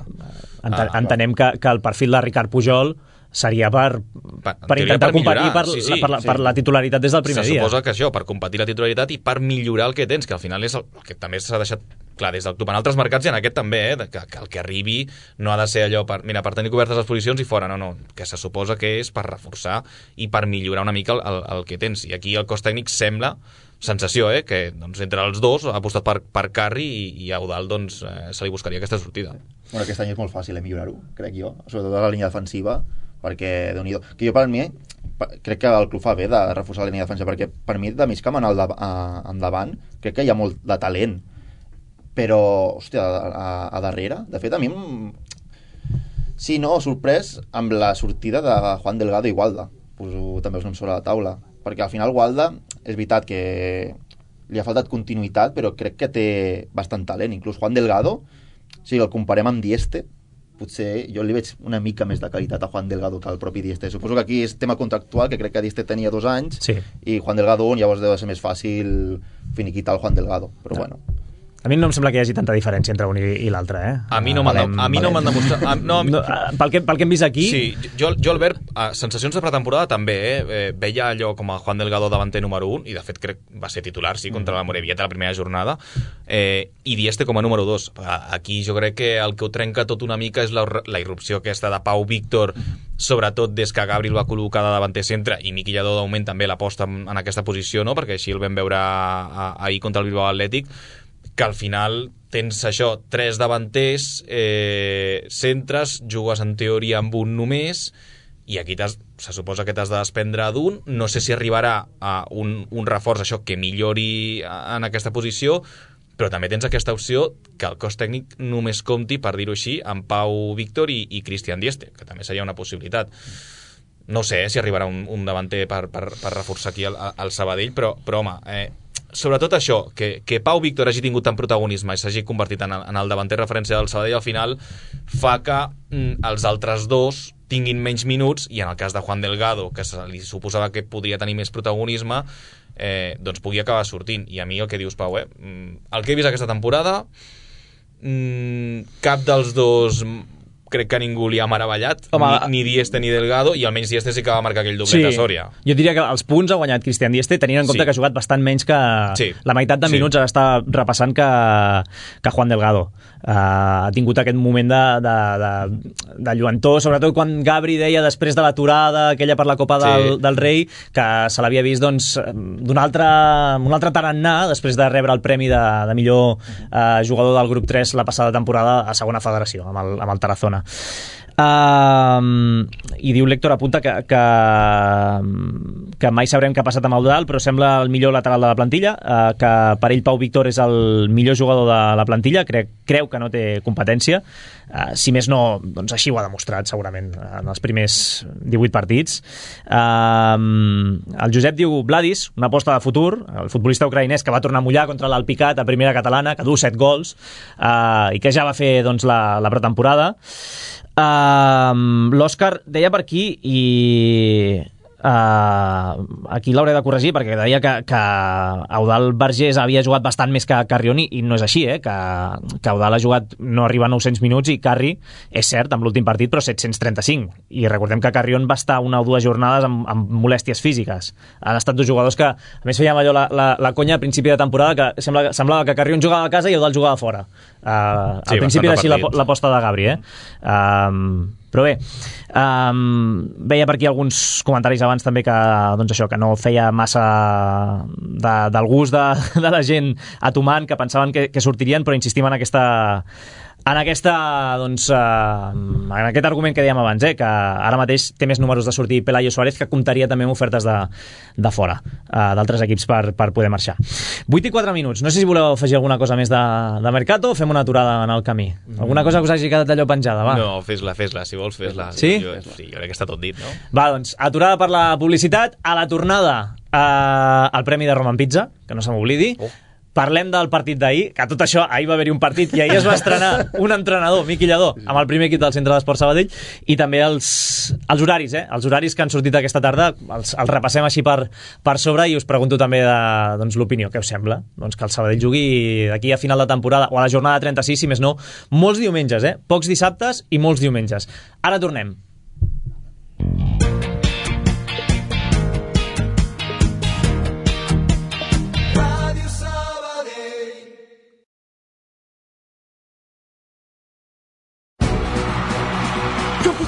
Enten, ah, entenem que, que el perfil de Ricard Pujol seria per, per, per intentar per competir per, sí, sí, per, la, sí. per la titularitat des del primer Se dia. Se suposa que això, per competir la titularitat i per millorar el que tens, que al final és el, el que també s'ha deixat clar des del club en altres mercats i en aquest també, eh, que, que el que arribi no ha de ser allò per, mira, per tenir cobertes les posicions i fora, no, no, que se suposa que és per reforçar i per millorar una mica el, el, el que tens. I aquí el cos tècnic sembla, sensació, eh, que doncs, entre els dos ha apostat per, per Carri i, i a Eudald doncs, eh, se li buscaria aquesta sortida. Bueno, aquest any és molt fàcil eh, millorar-ho, crec jo, sobretot a la línia defensiva, perquè, Déu-n'hi-do, que jo per mi crec que el club fa bé de reforçar la línia defensiva, perquè per mi de mig camp en el de, a, endavant crec que hi ha molt de talent, però hòstia, a, a, a darrere de fet a mi sí, no, sorprès amb la sortida de Juan Delgado i Gualda, poso també els noms sobre la taula, perquè al final Gualda és veritat que li ha faltat continuïtat, però crec que té bastant talent, inclús Juan Delgado, si el comparem amb Dieste, potser jo li veig una mica més de qualitat a Juan Delgado que al propi Dieste. Suposo que aquí és tema contractual, que crec que Dieste tenia dos anys, sí. I Juan Delgado un, llavors deu ser més fàcil finiquitar el Juan Delgado, però no. Bueno. A mi no em sembla que hi hagi tanta diferència entre un i, i l'altre, eh? A mi no m'han a mi no m'han demostrat... A, no, mi... no, pel, que, pel que hem vist aquí... Sí, jo, jo Albert, a sensacions de pretemporada també, eh? eh? Veia allò com a Juan Delgado davanter número un, i de fet crec va ser titular, sí, contra la Morevieta la primera jornada, eh, i Dieste com a número dos. Aquí jo crec que el que ho trenca tot una mica és la, la irrupció aquesta de Pau Víctor, sobretot des que Gabri el va col·locar de davanter centre, i Miqui Lladó d'augment també l'aposta en, en aquesta posició, no? Perquè així el vam veure ahir contra el Bilbao Atlètic, que al final tens això, tres davanters, eh, centres, jugues en teoria amb un només, i aquí se suposa que t'has de desprendre d'un, no sé si arribarà a un, un reforç això que millori en aquesta posició, però també tens aquesta opció que el cos tècnic només compti, per dir-ho així, amb Pau Víctor i, i Cristian Dieste, que també seria una possibilitat. No sé eh, si arribarà un, un davanter per, per, per reforçar aquí el, el Sabadell, però, però home... Eh, sobretot això, que, que Pau Víctor hagi tingut tant protagonisme i s'hagi convertit en el, en el davanter referència del Sabadell, al final fa que mm, els altres dos tinguin menys minuts, i en el cas de Juan Delgado, que se li suposava que podria tenir més protagonisme, eh, doncs pugui acabar sortint. I a mi el que dius, Pau, eh, el que he vist aquesta temporada, mm, cap dels dos crec que ningú li ha meravellat, Home, ni, ni Dieste ni Delgado, i almenys Dieste sí que va marcar aquell doblet sí, a Sòria. Jo diria que els punts ha guanyat Cristian Dieste, tenint en compte sí. que ha jugat bastant menys que sí. la meitat de minuts sí. està repassant que, que Juan Delgado. Uh, ha tingut aquest moment de, de, de, de lluentor, sobretot quan Gabri deia després de l'aturada, aquella per la Copa del, sí. del Rei, que se l'havia vist doncs, d'un altre, un altre tarannà després de rebre el premi de, de millor uh, jugador del grup tres la passada temporada a segona federació, amb el, amb el Tarazona. Uh, i diu l'Héctor, apunta que, que, que mai sabrem què ha passat amb Eudald, però sembla el millor lateral de la plantilla, uh, que per ell Pau Víctor és el millor jugador de la plantilla, creu, creu que no té competència, uh, si més no, doncs així ho ha demostrat segurament en els primers divuit partits. Uh, el Josep diu Vladis, una aposta de futur, el futbolista ucraïnès que va tornar a mullar contra l'Alpicat a primera catalana, que du set gols, uh, i que ja va fer doncs, la, la pretemporada. Uh, l'Òscar deia per aquí, i uh, aquí l'hauré de corregir perquè deia que, que Eudald Vergés havia jugat bastant més que Carrion, i no és així, eh? que, que Eudald ha jugat no arriba a nou-cents minuts i Carri, és cert, amb l'últim partit, però set-cents trenta-cinc, i recordem que Carrion va estar una o dues jornades amb, amb molèsties físiques. Han estat dos jugadors que, a més, fèiem allò la, la, la conya a principi de temporada, que sembla, semblava que Carrion jugava a casa i Eudald jugava fora. Uh, sí, al principi era així l'aposta de Gabri, eh? Um, però bé, um, veia per aquí alguns comentaris abans també que, doncs això, que no feia massa de, del gust de, de la gent a Tuman, que pensaven que, que sortirien, però insistim en aquesta En, aquesta, doncs, eh, en aquest argument que dèiem abans, eh, que ara mateix té més números de sortir Pelayo Suárez, que comptaria també amb ofertes de, de fora, eh, d'altres equips per, per poder marxar. vuit i quatre minuts. No sé si voleu afegir alguna cosa més de, de Mercato o fem una aturada en el camí. Alguna cosa que us hagi quedat allò penjada, va? No, fes-la, fes-la, si vols fes-la. Sí? Jo, sí, jo crec que està tot dit, no? Va, doncs, aturada per la publicitat. A la tornada, eh, el premi de Roman Pizza, que no se m'oblidi. Oh. Parlem del partit d'ahir, que tot això, ahir va haver-hi un partit i ahir es va estrenar un entrenador, Miqui Lladó, amb el primer equip del Centre d'Esport Sabadell, i també els, els horaris, eh? Els horaris que han sortit aquesta tarda, els, els repassem així per, per sobre i us pregunto també de, doncs, l'opinió. Què us sembla? Doncs que el Sabadell jugui d'aquí a final de temporada, o a la jornada trenta-sis, si més no, molts diumenges, eh? Pocs dissabtes i molts diumenges. Ara tornem.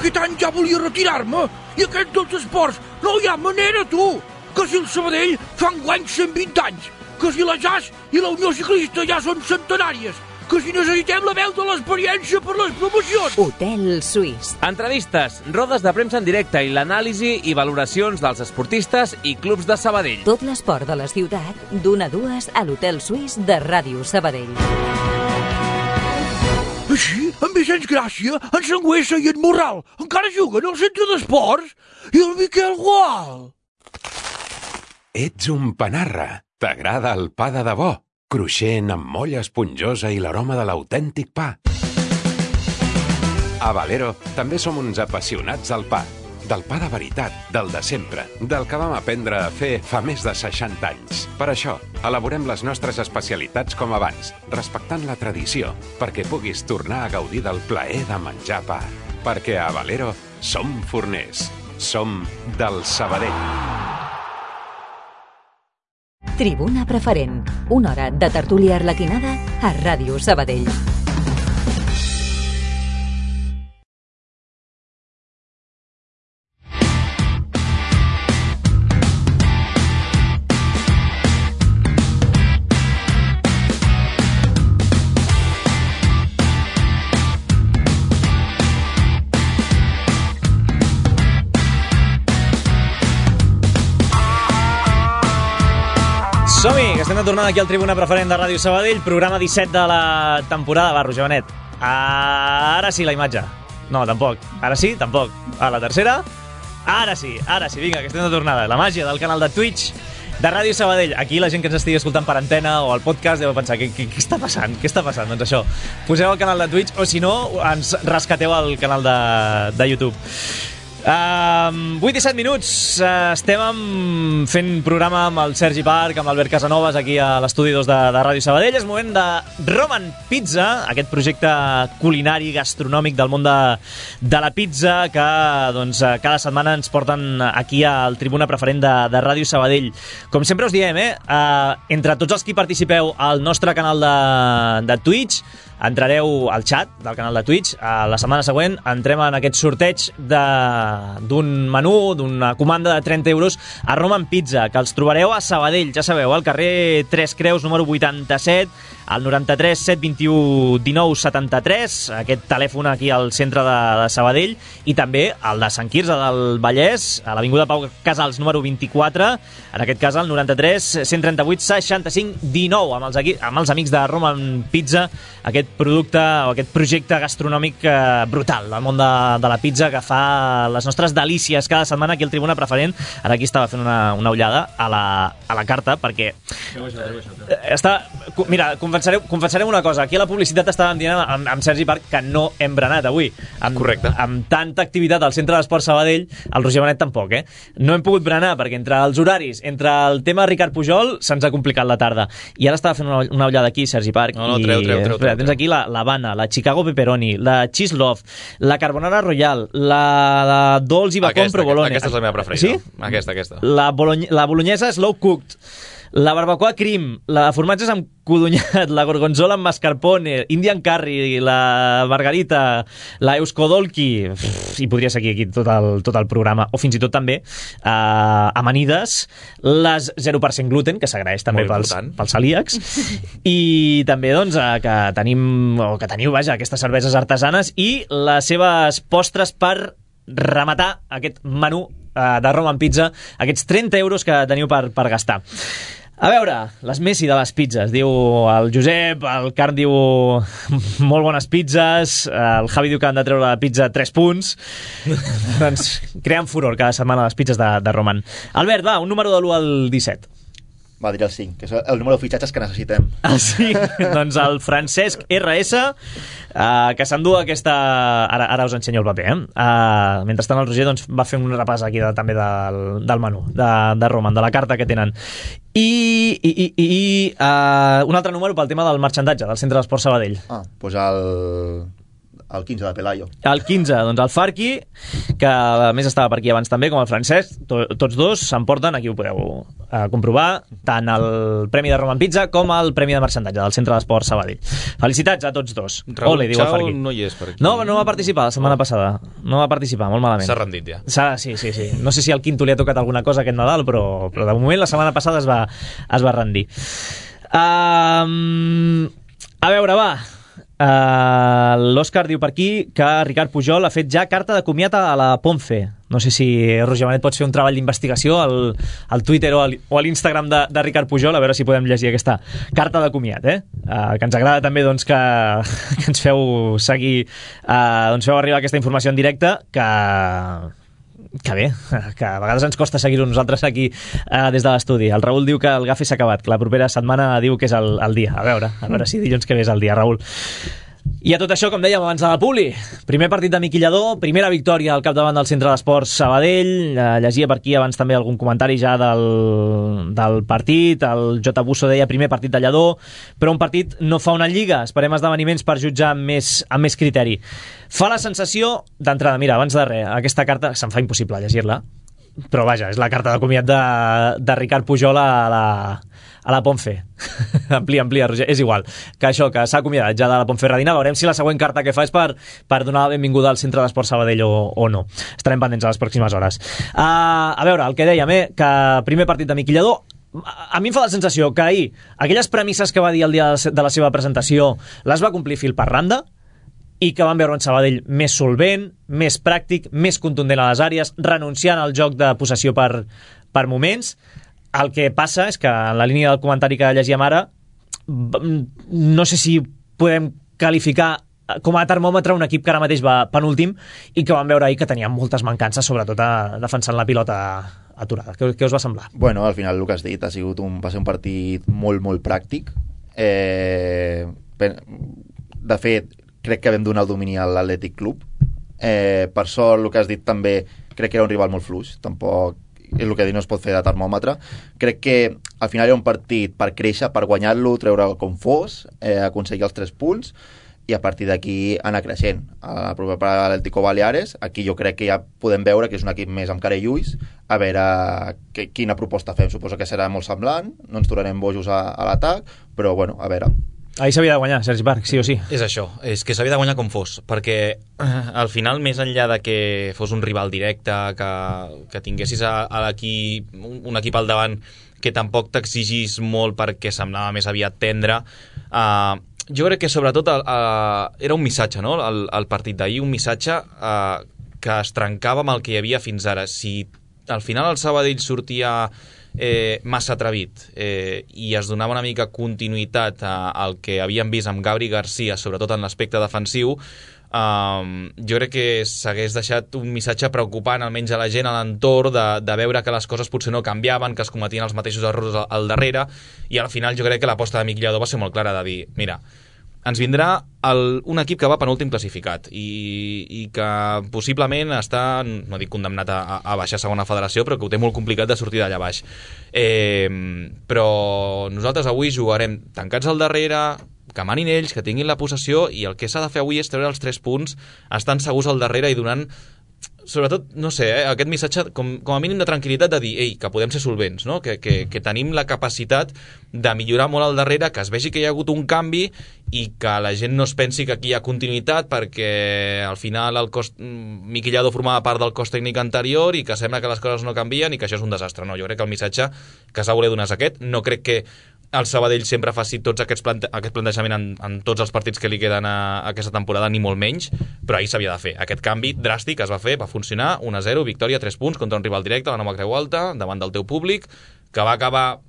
Aquest any ja volia retirar-me i aquests dos esports no hi ha manera, tu! Que si el Sabadell fa enguany cent vint anys, que si la J A S i la Unió Ciclista ja són centenàries, que si necessitem la veu de l'experiència per les promocions. Hotel Suís. Entrevistes, rodes de premsa en directe i l'anàlisi i valoracions dels esportistes i clubs de Sabadell. Tot l'esport de la ciutat, d'una a dues a l'Hotel Suís de Ràdio Sabadell. Així, en Vicenç Gràcia, en Sangüesa i en Morral encara juguen al centre d'esports i el Miquel Gual. Ets un panarra. T'agrada el pa de debò, cruixent amb molla esponjosa i l'aroma de l'autèntic pa. A Valero també som uns apassionats del pa. Del pa de veritat, del de sempre, del que vam aprendre a fer fa més de seixanta anys. Per això, elaborem les nostres especialitats com abans, respectant la tradició, perquè puguis tornar a gaudir del plaer de menjar pa. Perquè a Valero som forners, som del Sabadell. Tribuna Preferent, una hora de tertúlia arlequinada a Ràdio Sabadell. Som-hi, que estem de tornada aquí al Tribuna Preferent de Ràdio Sabadell, programa disset de la temporada. Va, Roger Benet. Ara sí, la imatge. No, tampoc. Ara sí, tampoc. A la tercera. Ara sí, ara sí, vinga, que estem de tornada. La màgia del canal de Twitch de Ràdio Sabadell. Aquí la gent que ens estigui escoltant per antena o al podcast deu pensar, què, què, què està passant? Què està passant? Doncs això, poseu el canal de Twitch o si no, ens rescateu al canal de, de YouTube. Uh, vuit i set minuts, uh, estem amb, fent programa amb el Sergi Parc, amb l'Albert Casanovas aquí a l'estudi dos de, de Ràdio Sabadell. És moment de Roman Pizza, aquest projecte culinari gastronòmic del món de, de la pizza que doncs, cada setmana ens porten aquí al Tribuna Preferent de, de Ràdio Sabadell. Com sempre us diem, eh, uh, entre tots els que participeu al nostre canal de, de Twitch, entrareu al chat del canal de Twitch. A la setmana següent entrem en aquest sorteig d'un menú, d'una comanda de trenta euros a Roman Pizza, que els trobareu a Sabadell, ja sabeu, al carrer Tres Creus, número vuitanta-set, al noranta-tres set vint-i-u dinou setanta-tres, aquest telèfon aquí al centre de, de Sabadell, i també el de Sant Quirze del Vallès, a l'avinguda Pau Casals, número vint-i-quatre, en aquest cas al noranta-tres cent trenta-vuit seixanta-cinc dinou, amb els, amb els amics de Roman Pizza, aquest producte o aquest projecte gastronòmic eh, brutal del món de, de la pizza, que fa les nostres delícies cada setmana aquí al Tribuna Preferent. Ara aquí estava fent una, una ullada a la, a la carta, perquè està, mira, confessarem, confessarem una cosa, aquí a la publicitat estàvem dient amb, amb Sergi Parc que no hem berenat avui. Amb, correcte. Amb tanta activitat al Centre d'Esport Sabadell, el Roger Benet tampoc, eh? No hem pogut berenar perquè entre els horaris, entre el tema Ricard Pujol, se'ns ha complicat la tarda. I ara estava fent una, una ullada aquí, Sergi Parc. No, no, treu, treu, treu. Espera, tens aquí la L'Havana, la Chicago Pepperoni, la Cheese Love, la Carbonara Royal, la Dolç i Bacon Provolone. Aquesta és la meva preferida. Sí? Aquesta, aquesta. La, bolony la bolognesa Slow Cooked, La barbacoa Crim, la formatges amb codonyat, la gorgonzola amb mascarpone, Indian Curry, la margarita, la Euskadolki, i podria seguir aquí tot el, tot el programa, o fins i tot també eh, amanides, les zero per cent gluten, que s'agraeix també pels, pels celíacs, i també doncs, eh, que tenim, o que teniu, vaja, aquestes cerveses artesanes i les seves postres per rematar aquest menú eh, de Roman Pizza, aquests trenta euros que teniu per, per gastar. A veure, les Messi de les pizzas, diu el Josep, el Carn diu molt bones pizzas, el Javi diu que han de treure la pizza tres punts. Doncs creen furor cada setmana les pizzas de, de Roman. Albert, va, un número de l'u al disset. Va, diré el cinc, que és el número de fitxatges que necessitem. Ah, sí? Doncs el Francesc R S, uh, que s'endú aquesta... Ara, ara us ensenyo el paper, eh? Uh, mentrestant el Roger doncs, va fer un repàs aquí de, també del, del menú, de, de Roman, de la carta que tenen. I, i, i, i uh, un altre número pel tema del marxandatge del Centre d'Esport Sabadell. Ah, doncs el... el quinze de Pelayo. El quinze, doncs el Farqui, que a més estava per aquí abans també, com el Francesc, to, tots dos s'emporten, aquí ho podeu uh, comprovar, tant el Premi de Roman Pizza com el Premi de Marxandatge del Centre d'Esport Sabadell. Felicitats a tots dos. Raül Ole, diu el Farqui. no hi és per aquí. No, no va participar la setmana oh. passada. No va participar, molt malament. S'ha rendit ja. Sí, sí, sí. No sé si al Quinto li ha tocat alguna cosa aquest Nadal, però, però de moment la setmana passada es va, es va rendir. Um, a veure, va... Uh, l'Òscar diu per aquí que Ricard Pujol ha fet ja carta de comiat a la Ponce. No sé si, Roger Manet, pots fer un treball d'investigació al, al Twitter o, al, o a l'Instagram de, de Ricard Pujol, a veure si podem llegir aquesta carta de comiat, eh? Uh, que ens agrada també doncs, que, que ens feu seguir, uh, doncs feu arribar aquesta informació en directe, que... que bé, que a vegades ens costa seguir-ho nosaltres aquí eh, des de l'estudi. El Raül diu que el gafe s'ha acabat, que la propera setmana diu que és el, el dia. A veure, a veure si dilluns que ve és el dia, Raül. I a tot això, com dèiem abans de la Puli, primer partit de Miqui Lladó, primera victòria al capdavant del Centre d'Esports Sabadell. Eh, llegia per aquí abans també algun comentari ja del, del partit. El J. Busso deia primer partit de Lladó, però un partit no fa una lliga. Esperem esdeveniments per jutjar amb més, amb més criteri. Fa la sensació d'entrada, mira, abans de res, aquesta carta se'm fa impossible llegir-la, però vaja, és la carta de comiat de, de Ricard Pujol a la, a la Ponce. amplia, amplia, Roger, és igual que això, que s'ha acomiadat ja de la Ponferradina. Veurem si la següent carta que fa és per, per donar la benvinguda al Centre d'Esport Sabadell o, o no. Estarem pendents a les pròximes hores. Uh, a veure, el que dèiem, eh, que primer partit de Miqui Lladó, a mi em fa la sensació que ahir aquelles premisses que va dir el dia de la seva presentació les va complir fil per randa, i que van veure un Sabadell més solvent, més pràctic, més contundent a les àrees, renunciant al joc de possessió per, per moments. El que passa és que en la línia del comentari que llegíem ara, no sé si podem qualificar com a termòmetre un equip que ara mateix va penúltim i que van veure ahir que tenia moltes mancances, sobretot a, defensant la pilota aturada. Què, què us va semblar? Bueno, al final el que has dit ha sigut un, va ser un partit molt, molt pràctic. Eh, de fet, crec que vam donar el domini a l'Atlètic Club. Eh, per sort, el que has dit també, crec que era un rival molt fluix, tampoc és el que dir no es pot fer de termòmetre. Crec que al final era un partit per créixer, per guanyar-lo, treure com fos, eh, aconseguir els tres punts i a partir d'aquí anar creixent. A la propera a l'Atlético Baleares, aquí jo crec que ja podem veure que és un equip més amb cara i ulls, a veure que, quina proposta fem. Suposo que serà molt semblant, no ens tornarem bojos a, a l'atac, però bueno, a veure. Ahir s'havia de guanyar, Sergi Parc, sí o sí. És això, és que s'havia de guanyar com fos, perquè eh, al final, més enllà de que fos un rival directe, que, que tinguessis a, a l'equip, un, un equip al davant que tampoc t'exigís molt perquè semblava més aviat tendre, eh, jo crec que sobretot el, eh, era un missatge, no?, el, el partit d'ahir, un missatge eh, que es trencava amb el que hi havia fins ara. Si al final el Sabadell sortia Eh, massa atrevit eh, i es donava una mica continuïtat a, al que havíem vist amb Gabri Garcia, sobretot en l'aspecte defensiu, um, jo crec que s'hagués deixat un missatge preocupant almenys a la gent a l'entorn de, de veure que les coses potser no canviaven, que es cometien els mateixos errors al, al darrere, i al final jo crec que l'aposta de Miqui Lladó va ser molt clara, de dir, mira, ens vindrà el, un equip que va penúltim classificat i, i que possiblement està, no dic condemnat a, a baixar a segona federació, però que ho té molt complicat de sortir d'allà baix. Eh, però nosaltres avui jugarem tancats al darrere, que manin ells, que tinguin la possessió, i el que s'ha de fer avui és treure els tres punts, estant segurs al darrere i donant sobretot, no sé, eh, aquest missatge com, com a mínim de tranquil·litat de dir, ei, que podem ser solvents, no? que, que, que tenim la capacitat de millorar molt al darrere, que es vegi que hi ha hagut un canvi i que la gent no es pensi que aquí hi ha continuïtat perquè al final el cos, Miqui Lladó formava part del cos tècnic anterior i que sembla que les coses no canvien i que això és un desastre. No, jo crec que el missatge que s'ha voler donar és aquest. No crec que el Sabadell sempre faci tots aquests plante aquest plantejament en, en tots els partits que li queden a, a aquesta temporada, ni molt menys, però ahir s'havia de fer. Aquest canvi dràstic es va fer, va funcionar, un a zero, victòria, tres punts contra un rival directe, la Nova Creu Alta, davant del teu públic, que va acabar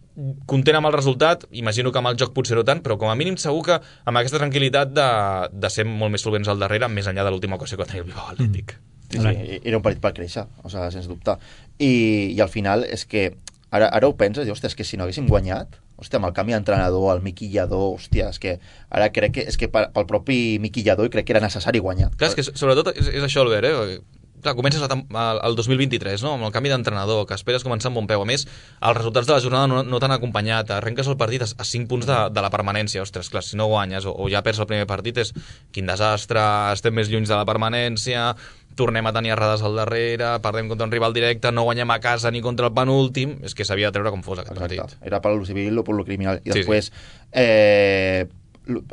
content amb el resultat, imagino que amb el joc potser no tant, però com a mínim segur que amb aquesta tranquil·litat de, de ser molt més solvents al darrere, més enllà de l'última ocasió que tenia el Bilbao Atlètic. Sí, sí, era un partit per créixer, o sigui, sens dubte. I, i al final és que ara, ara ho penses, i, hòstia, és que si no haguéssim guanyat, hòstia, amb el canvi d'entrenador, el Miqui Lladó, hòstia, és que ara crec que, és que pel propi Miqui Lladó crec que era necessari guanyar. Clar, és que sobretot és, és això, Albert, eh? Clar, comences el dos mil vint-i-tres, no? Amb el canvi d'entrenador, que esperes començar amb bon peu. A més, els resultats de la jornada no, no t'han acompanyat. Arrenques el partit a, a cinc punts de, de la permanència. Ostres, clar, si no guanyes o, o ja perds el primer partit, és quin desastre, estem més lluny de la permanència, tornem a tenir errades al darrere, perdem contra un rival directe, no guanyem a casa ni contra el penúltim. És que s'havia de treure com fos aquest Exacte. Partit. Era per lo civil o per lo criminal. I sí, després, sí. eh,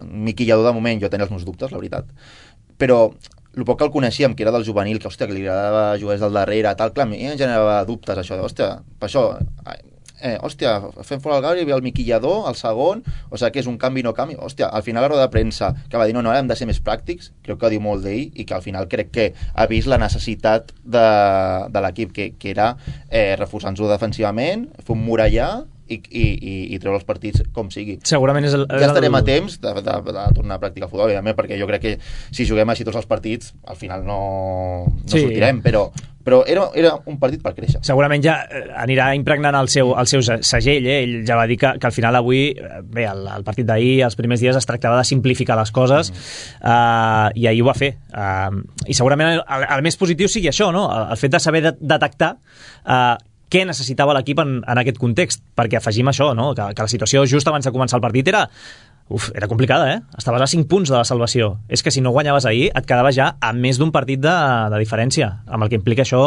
Miqui Lladó, de moment, jo tenia els meus dubtes, la veritat. Però el poc que el coneixíem, que era del juvenil, que, hòstia, que li agradava jugar des del darrere, tal, clar, a mi em generava dubtes, això, de, hòstia, per això, eh, hòstia, fem fora el Gabri, ve el Miqui Lladó, el segon, o sigui, que és un canvi no canvi, hòstia, al final la roda de premsa, que va dir, no, no, hem de ser més pràctics, crec que diu molt d'ell, i que al final crec que ha vist la necessitat de, de l'equip, que, que era eh, reforçar-nos defensivament, fer un murallar, i, i, i, i treure els partits com sigui. Segurament és el, ja estarem a temps de, de, de tornar a practicar futbol, evidentment, perquè jo crec que si juguem així tots els partits al final no, no sí. sortirem, però, però era, era un partit per créixer. Segurament ja anirà impregnant el seu, el seu segell, eh? Ell ja va dir que, que al final avui, bé, el, el partit d'ahir, els primers dies es tractava de simplificar les coses, mm. uh, i ahir ho va fer. Uh, I segurament el, el, el més positiu sigui això, no? El, el fet de saber de, detectar uh, què necessitava l'equip en, en aquest context, perquè afegim això, no? que, que la situació just abans de començar el partit era, uf, era complicada, eh? Estaves a cinc punts de la salvació. És que si no guanyaves ahir et quedaves ja a més d'un partit de, de diferència, amb el que implica això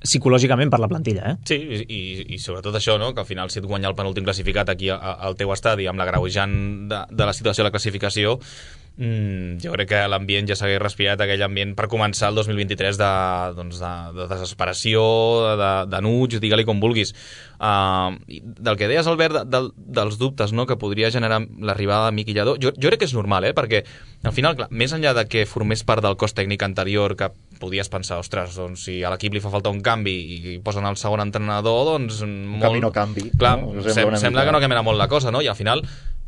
psicològicament per la plantilla. Eh? Sí, i, i sobretot això, no? Que al final si et guanya el penúltim classificat aquí a, a, al teu estadi amb l'agreujant de, de la situació de la classificació, Mm, jo crec que l'ambient ja s'hagués respirat, aquell ambient per començar el dos mil vint-i-tres de, doncs de, de desesperació, de, de nuig, digue-li com vulguis. Uh, del que deies, Albert, de, de, dels dubtes, no?, que podria generar l'arribada de Miqui Lladó, jo, jo crec que és normal, eh? Perquè al final, clar, més enllà de que formés part del cos tècnic anterior, que podies pensar, ostres, doncs, si a l'equip li fa falta un canvi i posen el segon entrenador, doncs... Un molt... canvi no canvi. Clar, no? Sembla, sembla que no canviarà molt la cosa, no? I al final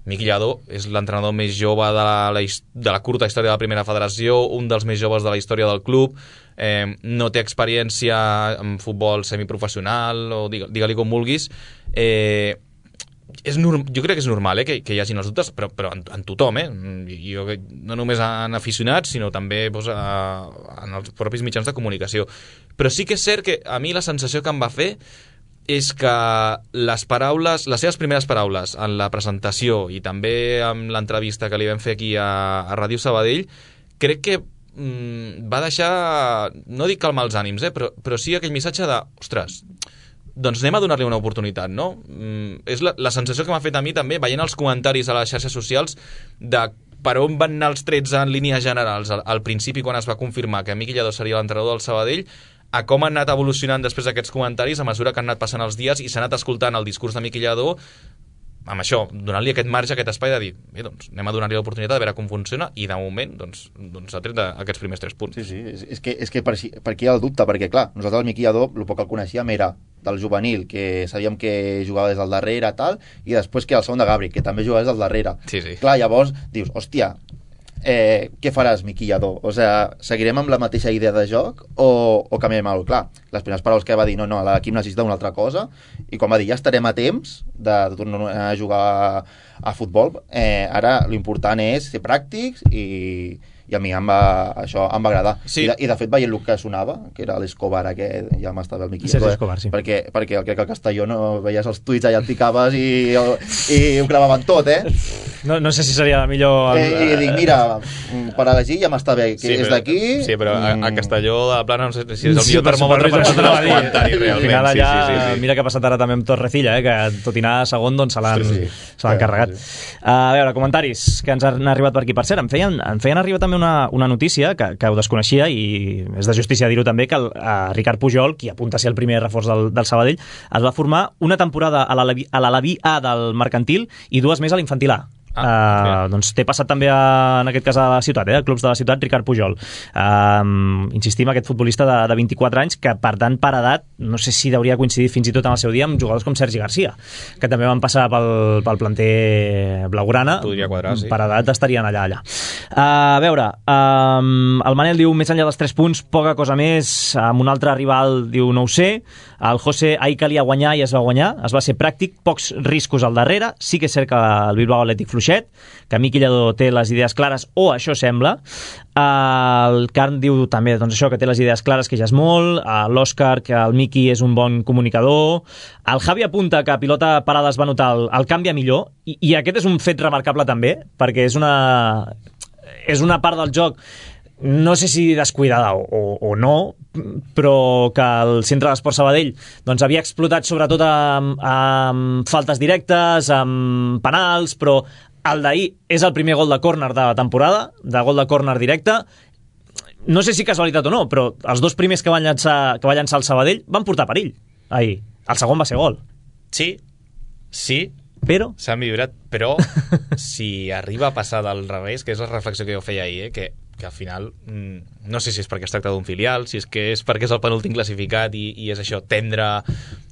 Miqui Lladó és l'entrenador més jove de la, la, de la curta història de la primera federació, un dels més joves de la història del club, eh, no té experiència en futbol semiprofessional, o digue-li digue com vulguis. Eh, és norm, jo crec que és normal, eh, que, que hi hagin els dubtes, però, però en, en tothom, eh? Jo, no només en aficionats, sinó també doncs, a, en els propis mitjans de comunicació. Però sí que és cert que a mi la sensació que em va fer és que les paraules, les seves primeres paraules en la presentació i també amb l'entrevista que li vam fer aquí a, a Ràdio Sabadell, crec que mm, va deixar, no dic calmar els ànims, eh, però, però sí aquell missatge de, ostres, doncs anem a donar-li una oportunitat, no? Mm, és la, la sensació que m'ha fet a mi també, veient els comentaris a les xarxes socials de per on van anar els trets en línies generals al, al principi quan es va confirmar que Miqui Lladó seria l'entrenador del Sabadell, a com han anat evolucionant després d'aquests comentaris a mesura que han anat passant els dies i s'ha anat escoltant el discurs de Miqui Lladó amb això, donant-li aquest marge, aquest espai de dir, bé, doncs anem a donar-li l'oportunitat de veure com funciona i de moment doncs, doncs ha tret aquests primers tres punts. Sí, sí, és, és que, és que per, per aquí hi ha el dubte, perquè clar, nosaltres el Miqui Lladó el poc que el coneixíem era del juvenil, que sabíem que jugava des del darrere tal, i després que el segon de Gabri, que també jugava des del darrere. Sí, sí. Clar, llavors dius, hòstia, Eh, què faràs, Miqui Lladó? O sea, seguirem amb la mateixa idea de joc o, o canviem alguna cosa? Clar, les primeres paraules que va dir, no, no, l'equip necessita una altra cosa, i quan va dir, ja estarem a temps de, de tornar a jugar a, a futbol, eh, ara l'important és ser pràctics i, i a mi em va, això em va agradar. Sí. I, de, I de fet veient el que sonava, que era l'Escobar aquest, ja m'estava el Miqui sí, Lladó, sí, Escobar, sí. perquè, perquè crec que el Castelló no veies els tuits allà et picaves i, i ho clavaven tot, eh? No, no sé si seria millor... Eh, I dic, mira, per elegir ja m'està bé, que Sí, és però- d'aquí... Sí, però a, a Castelló de la Plana no sé si és el Sí, millor per termòmetre per suposo, tots això els t'anava a dir. comentaris, Al realment. final allà, Sí, sí, sí. mira què ha passat ara també amb Torrecilla, eh, que tot i anar a segon doncs se l'han Sí, sí. se l'han carregat. A veure, comentaris que ens han arribat per aquí. Per cert, em feien, em feien arribar també una, una notícia que, que ho desconeixia i és de justícia dir-ho també, que el, a Ricard Pujol, qui apunta a ser el primer reforç del, del Sabadell, es va formar una temporada a l'Alaví a l'Alaví A del Mercantil i dues més a l'Infantil A. Ah, uh, doncs té passat també a, en aquest cas a la ciutat, eh, a clubs de la ciutat, Ricard Pujol. Uh, insistim, aquest futbolista de, de vint-i-quatre anys que per tant per edat, no sé si hauria coincidit fins i tot en el seu dia amb jugadors com Sergi Garcia, que també van passar pel, pel planter blaugrana. Podria quadrar, sí. Per edat estarien allà, allà. Uh, a veure, um, el Manel diu, més enllà dels tres punts, poca cosa més. Amb un altre rival diu, no ho sé. El José, ahir calia guanyar i es va guanyar, es va ser pràctic, pocs riscos al darrere. Sí que és cert que el Bilbao Atlètic fluixet, que Miqui Lladó té les idees clares, o això sembla. El Carn diu també doncs això, que té les idees clares, que ja és molt. L'Òscar, que el Miqui és un bon comunicador. El Javi apunta que a pilota parada es va notar el, el canvi a millor, i, i aquest és un fet remarcable també, perquè és una, és una part del joc, no sé si descuidada o, o, o no, però que el Centre d'Esport Sabadell doncs, havia explotat sobretot amb, amb faltes directes, amb penals, però el d'ahir és el primer gol de córner de la temporada, de gol de córner directe. No sé si casualitat o no, però els dos primers que van llançar, que va llançar el Sabadell van portar perill ahir. El segon va ser gol. Sí, sí, Però... s'ha millorat, però si arriba a passar del revés, que és la reflexió que jo feia ahir, eh, que, que al final, mm, no sé si és perquè es tracta d'un filial, si és que és perquè és el penúltim classificat i, i és això, tendre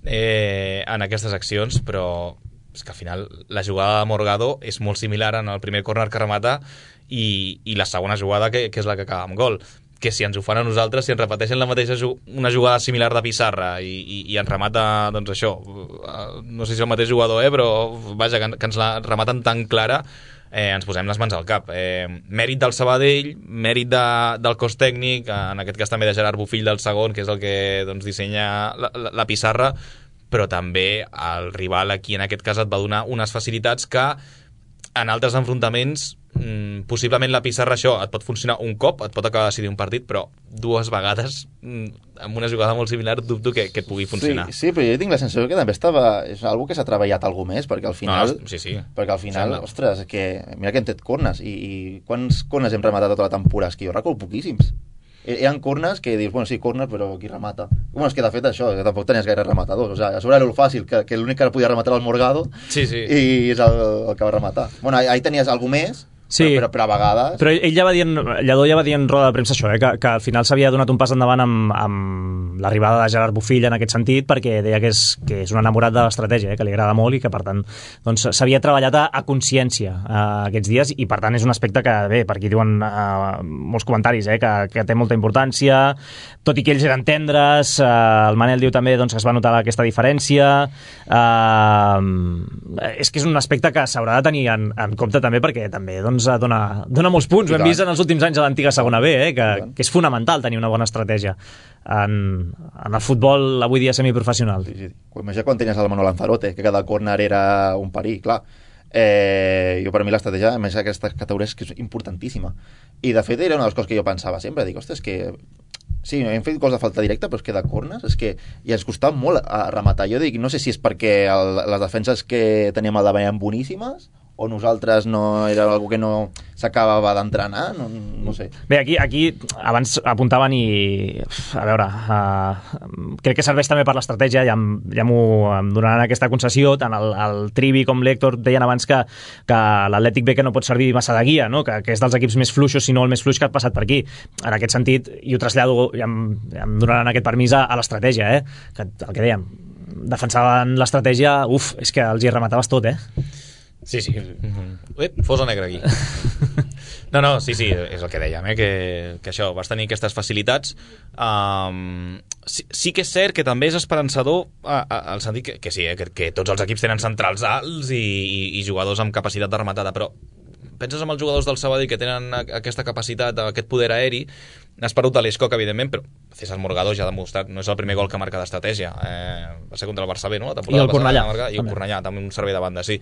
eh, en aquestes accions, però és que al final la jugada de Morgado és molt similar en el primer córner que remata i, i la segona jugada que, que és la que acaba amb gol, que si ens ho fan a nosaltres, si ens repeteixen la mateixa una jugada similar de Pissarra i, i, i ens remata, doncs això, no sé si és el mateix jugador, eh, però vaja, que, que ens la rematen tan clara, eh, ens posem les mans al cap. Eh, mèrit del Sabadell, mèrit de, del cos tècnic, en aquest cas també de Gerard Bofill del segon, que és el que doncs, dissenya la, la, la Pissarra, però també el rival aquí en aquest cas et va donar unes facilitats que en altres enfrontaments mm, possiblement la Pissarra això et pot funcionar un cop, et pot acabar de decidir un partit, però dues vegades mm, amb una jugada molt similar dubto que, que et pugui funcionar. Sí, sí, però jo tinc la sensació que també estava, és algo que s'ha treballat algú més, perquè al final, no, sí, sí. perquè al final, Sembla. ostres, que mira que hem tret cornes, i, i quants cornes hem rematat tota la temporada? És que jo recordo poquíssims. Hi ha corners que dius, bueno, sí, corner, però qui remata? Bueno, és que de fet això, que tampoc tenies gaire rematadors. O sigui, a sobre era el fàcil, que, que l'únic que podia rematar era el Morgado, sí, sí. i és el, el que va rematar. Bueno, ahí tenies algú més, Sí. però, però, però a vegades... Però ell ja va dient, Lladó ja va dir en roda de premsa això, eh, que, que al final s'havia donat un pas endavant amb, amb l'arribada de Gerard Bofill en aquest sentit, perquè deia que és, que és un enamorat de l'estratègia, eh, que li agrada molt i que per tant doncs, s'havia treballat a, a consciència eh, aquests dies, i per tant és un aspecte que, bé, per aquí diuen eh, molts comentaris, eh, que, que té molta importància, tot i que ells eren tendres, eh, el Manel diu també doncs, que es va notar aquesta diferència, eh, és que és un aspecte que s'haurà de tenir en, en compte també, perquè també doncs, dona, dona molts punts. Ho hem vist en els últims anys a l'antiga segona B, eh, que, que és fonamental tenir una bona estratègia en, en el futbol avui dia semiprofessional. Sí, sí. Imagina quan tenies el Manol Lanzarote, que cada córner era un perill, clar. Eh, jo per mi l'estratègia, a més aquesta categoria és que és importantíssima. I de fet era una de les coses que jo pensava sempre, dic, ostres, que sí, hem fet gols de falta directa, però és que de córners és que i ens costava molt a rematar. Jo dic, no sé si és perquè el, les defenses que teníem al davant eren boníssimes, o nosaltres no era algo que no s'acabava d'entrenar, no, no sé. Bé, aquí, aquí abans apuntaven i, a veure, uh, crec que serveix també per l'estratègia, ja, ja m'ho em donaran aquesta concessió, tant el, el Trivi com l'Héctor deien abans que, que l'Atlètic B que no pot servir massa de guia, no? que, que és dels equips més fluixos, si no el més fluix que ha passat per aquí. En aquest sentit, i ho trasllado, ja em, ja em donaran aquest permís a, a l'estratègia, eh? que el que dèiem, defensaven l'estratègia, uf, és que els hi remataves tot, eh? Sí, sí. Mm-hmm. Ep, fosa negra aquí. No, no, sí, sí, és el que dèiem, eh? que, que això, vas tenir aquestes facilitats. Um, sí, sí que és cert que també és esperançador a, a, al sentit que, que sí, eh? que, que tots els equips tenen centrals alts i, i, i jugadors amb capacitat de rematada, però penses en els jugadors del Sabadell que tenen aquesta capacitat, aquest poder aeri, Has perdut a l'Escoc, evidentment, però César Morgado ja ha demostrat, no és el primer gol que marca d'estratègia, eh, va ser contra el Barça B, no? I el Cornellà. I el Cornellà, també un servei de banda, sí.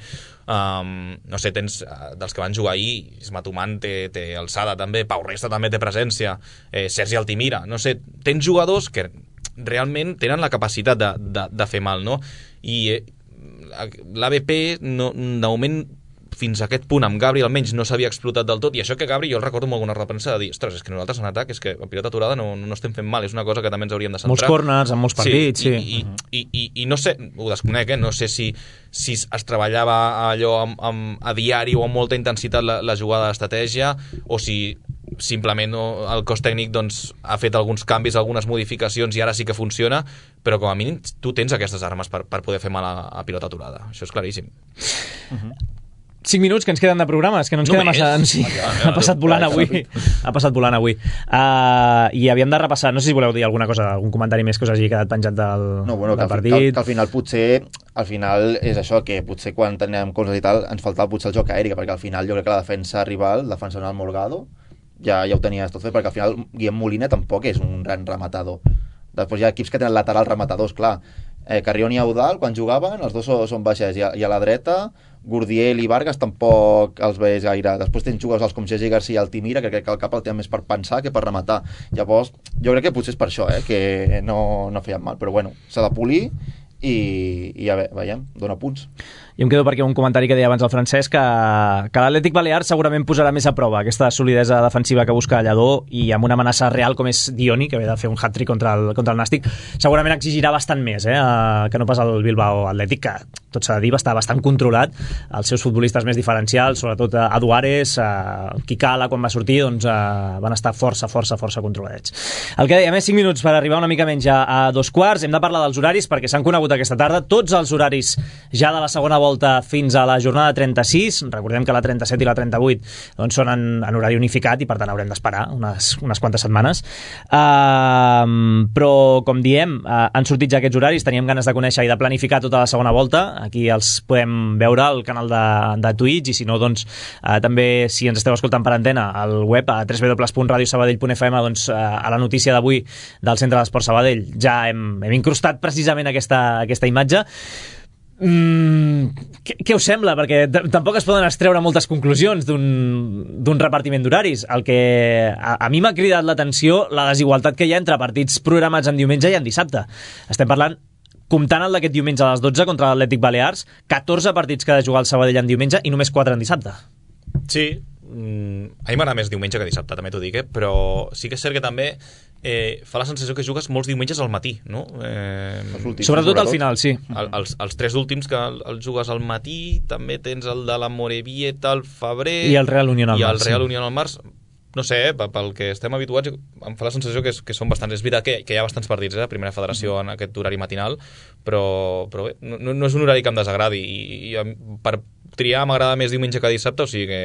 Um, no sé, tens, dels que van jugar ahir, Isma Tumán té, té alçada també, Pau Resta també té presència, eh, Sergi Altimira, no sé, tens jugadors que realment tenen la capacitat de, de, de fer mal, no? I eh, l'A B P, no, de moment, fins a aquest punt amb Gabri almenys no s'havia explotat del tot, i això que Gabri jo el recordo amb alguna repensa de dir, ostres, és que nosaltres en atac és que a pilota aturada no, no estem fent mal, és una cosa que també ens hauríem de centrar. Molts corners, en molts partits, sí. sí. I, i, i, i no sé, ho desconec, eh? No sé si, si es treballava allò amb, amb, a diari o amb molta intensitat la, la jugada d'estratègia, o si simplement el cos tècnic doncs, ha fet alguns canvis, algunes modificacions i ara sí que funciona, però com a mínim tu tens aquestes armes per, per poder fer mal a, a pilota aturada, això és claríssim. Uh-huh. cinc minuts que ens queden de programa, és que no ens no queda massa... Sí, ha passat volant avui. Ha passat volant avui. Uh, I havíem de repassar, no sé si voleu dir alguna cosa, algun comentari més que us hagi quedat penjat del, no, bueno, del que partit. Que, que al final potser, al final és això, que potser quan teníem coses i tal, ens faltava potser el joc aèric, perquè al final jo crec que la defensa rival, defensant el Morgado, ja, ja ho tenies tot fet, perquè al final Guillem Molina tampoc és un gran rematador. Després hi ha equips que tenen lateral rematadors, clar. Eh, Carrión i Eudal, quan jugaven, els dos són baixets, i a, i a la dreta Gurdiel i Vargas tampoc els veus gaire. Després tens jugadors com Gigi Garcia i Altimira, que crec que el cap el tenen més per pensar que per rematar. Llavors, jo crec que potser és per això, eh, que no, no feien mal, però bueno, s'ha de polir i, i a veure, veiem, dona punts. Jo em quedo perquè un comentari que deia abans el Francesc que, que l'Atlètic Balear segurament posarà més a prova aquesta solidesa defensiva que busca Lledó, i amb una amenaça real com és Dioni, que ve de fer un hat-trick contra el, contra el Nàstic, segurament exigirà bastant més, eh, que no pas el Bilbao Atlètic, que tot s'ha de dir, va estar bastant controlat. Els seus futbolistes més diferencials, sobretot a Duares, a Kikala, quan va sortir, doncs a, van estar força, força, força controladets. El que deia, més cinc minuts per arribar una mica menys a, a dos quarts. Hem de parlar dels horaris perquè s'han conegut aquesta tarda tots els horaris ja de la segona volta fins a la jornada trenta-sis. Recordem que la trenta-set i la trenta-vuit doncs, són en, en horari unificat i per tant haurem d'esperar unes, unes quantes setmanes. Uh, però, com diem, uh, han sortit ja aquests horaris, teníem ganes de conèixer i de planificar tota la segona volta. Aquí els podem veure al canal de, de Twitch, i si no, doncs, uh, també, si ens esteu escoltant per antena, al web a w w w punt radio sabadell punt f m, doncs, uh, a la notícia d'avui del Centre d'Esport Sabadell ja hem, hem incrustat precisament aquesta, aquesta imatge. Mm, què, què us sembla? Perquè tampoc es poden extreure moltes conclusions d'un repartiment d'horaris. El que a, a mi m'ha cridat l'atenció la desigualtat que hi ha entre partits programats en diumenge i en dissabte. Estem parlant, comptant el d'aquest diumenge a les dotze contra l'Atlètic Balears, catorze partits que ha de jugar el Sabadell en diumenge i només quatre en dissabte. Sí, mm, a mi m'agrada més diumenge que dissabte, també t'ho dic, eh? Però sí que és cert que també Eh, fa la sensació que jugues molts diumenges al matí, no? Eh, últims, sobretot al final, sí. El, els, els tres últims que el, el jugues al matí, també tens el de la Morevieta al febrer i el Real Unión al març. I el Real sí. Unión al març. No sé, eh, pel que estem habituats, em fa la sensació que, que són bastants. És veritat que, que hi ha bastants partits, eh, a Primera Federació en aquest horari matinal, però, però bé, no, no és un horari que em desagradi. I, i per triar m'agrada més diumenge que dissabte, o sigui que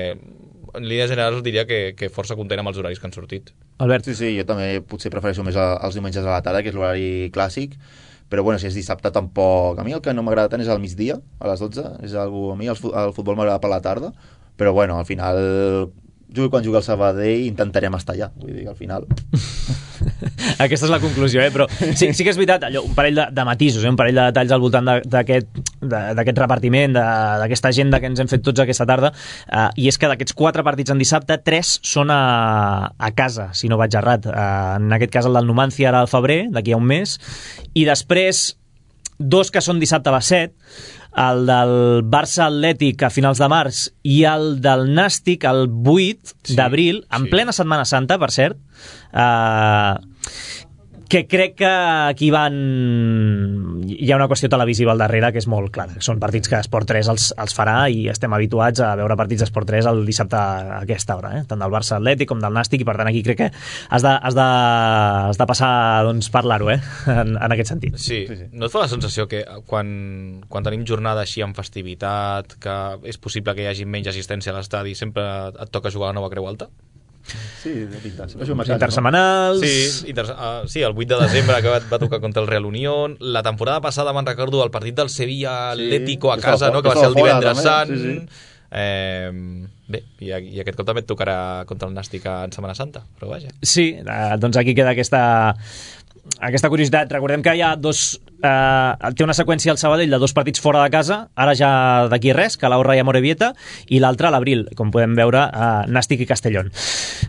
en línies generals diria que, que força content amb els horaris que han sortit. Albert? Sí, sí, jo també potser prefereixo més els diumenges a la tarda, que és l'horari clàssic, però bueno, si és dissabte tampoc... A mi el que no m'agrada tant és al migdia, a les dotze, és algo... a mi el futbol m'agrada per la tarda, però bueno, al final... Jo quan jugui al Sabadell intentarem estar allà, vull dir, al final. Aquesta és la conclusió, eh? Però sí, sí que és veritat, allò, un parell de, de matisos, eh? Un parell de detalls al voltant d'aquest repartiment, d'aquesta agenda que ens hem fet tots aquesta tarda, eh, i és que d'aquests quatre partits en dissabte, tres són a, a casa, si no vaig errat. Eh, en aquest cas el del Numancia ara al febrer, d'aquí a un mes, i després dos que són dissabte a les set, el del Barça Atlètic a finals de març i el del Nàstic el vuit sí, d'abril, en sí. plena Setmana Santa, per cert, eh, que crec que aquí van... hi ha una qüestió televisiva al darrere que és molt clara. Són partits que Esport tres els, els farà i estem habituats a veure partits d'Esport tres el dissabte a aquesta hora, eh? Tant del Barça Atlètic com del Nàstic, i per tant aquí crec que has de, has de, has de passar doncs, parlar-ho, eh? en, en aquest sentit. Sí. sí, sí. No et fa la sensació que quan, quan tenim jornada així amb festivitat, que és possible que hi hagi menys assistència a l'estadi, sempre et toca jugar a la Nova Creu Alta? Sí, de pintar. Intersemanals... Sí, inter... uh, sí, el vuit de desembre que va, va tocar contra el Real Unión. La temporada passada me'n recordo el partit del Sevilla Atlético sí, a casa, no? Que va ser el divendres sant. Sí, sí. Eh, Bé, i, i aquest cop també et tocarà contra el Nàstic en Setmana Santa, però vaja. Sí, eh, doncs aquí queda aquesta, aquesta curiositat. Recordem que hi ha dos... Eh, té una seqüència al Sabadell de dos partits fora de casa, ara ja d'aquí res, Calahorra i Amorebieta, i l'altre a l'abril, com podem veure, eh, Nàstic i Castellón.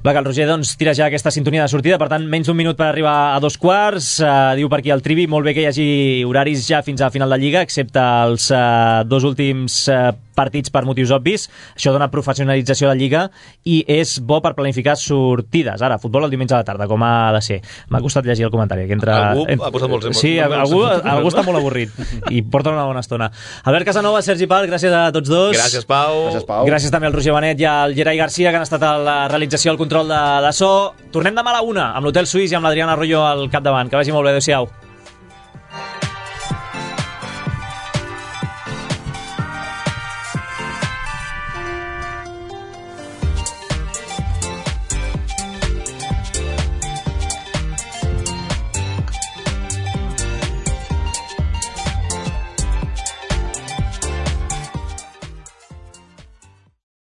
Va, que el Roger doncs, tira ja aquesta sintonia de sortida, per tant, menys d'un minut per arribar a dos quarts. Eh, diu per aquí el Trivi, molt bé que hi hagi horaris ja fins a final de Lliga, excepte els eh, dos últims eh, partits per motius obvis. Això dona professionalització de Lliga i és bo per planificar sortides. Ara, futbol el diumenge a la tarda, com ha de ser. M'ha costat llegir el comentari. Que entre... Algú ha posat molts... Sí, algú, algú està molt avorrit i porta una bona estona. Albert Casanova, Sergi Pal, gràcies a tots dos. Gràcies, Pau. Gràcies, Pau. Gràcies també al Roger Benet i al Gerai Garcia, que han estat a la realització del control de, de so. Tornem demà a la una amb l'Hotel Suís i amb l'Adriana Arroyo al capdavant. Que vagi molt bé, adéu-siau.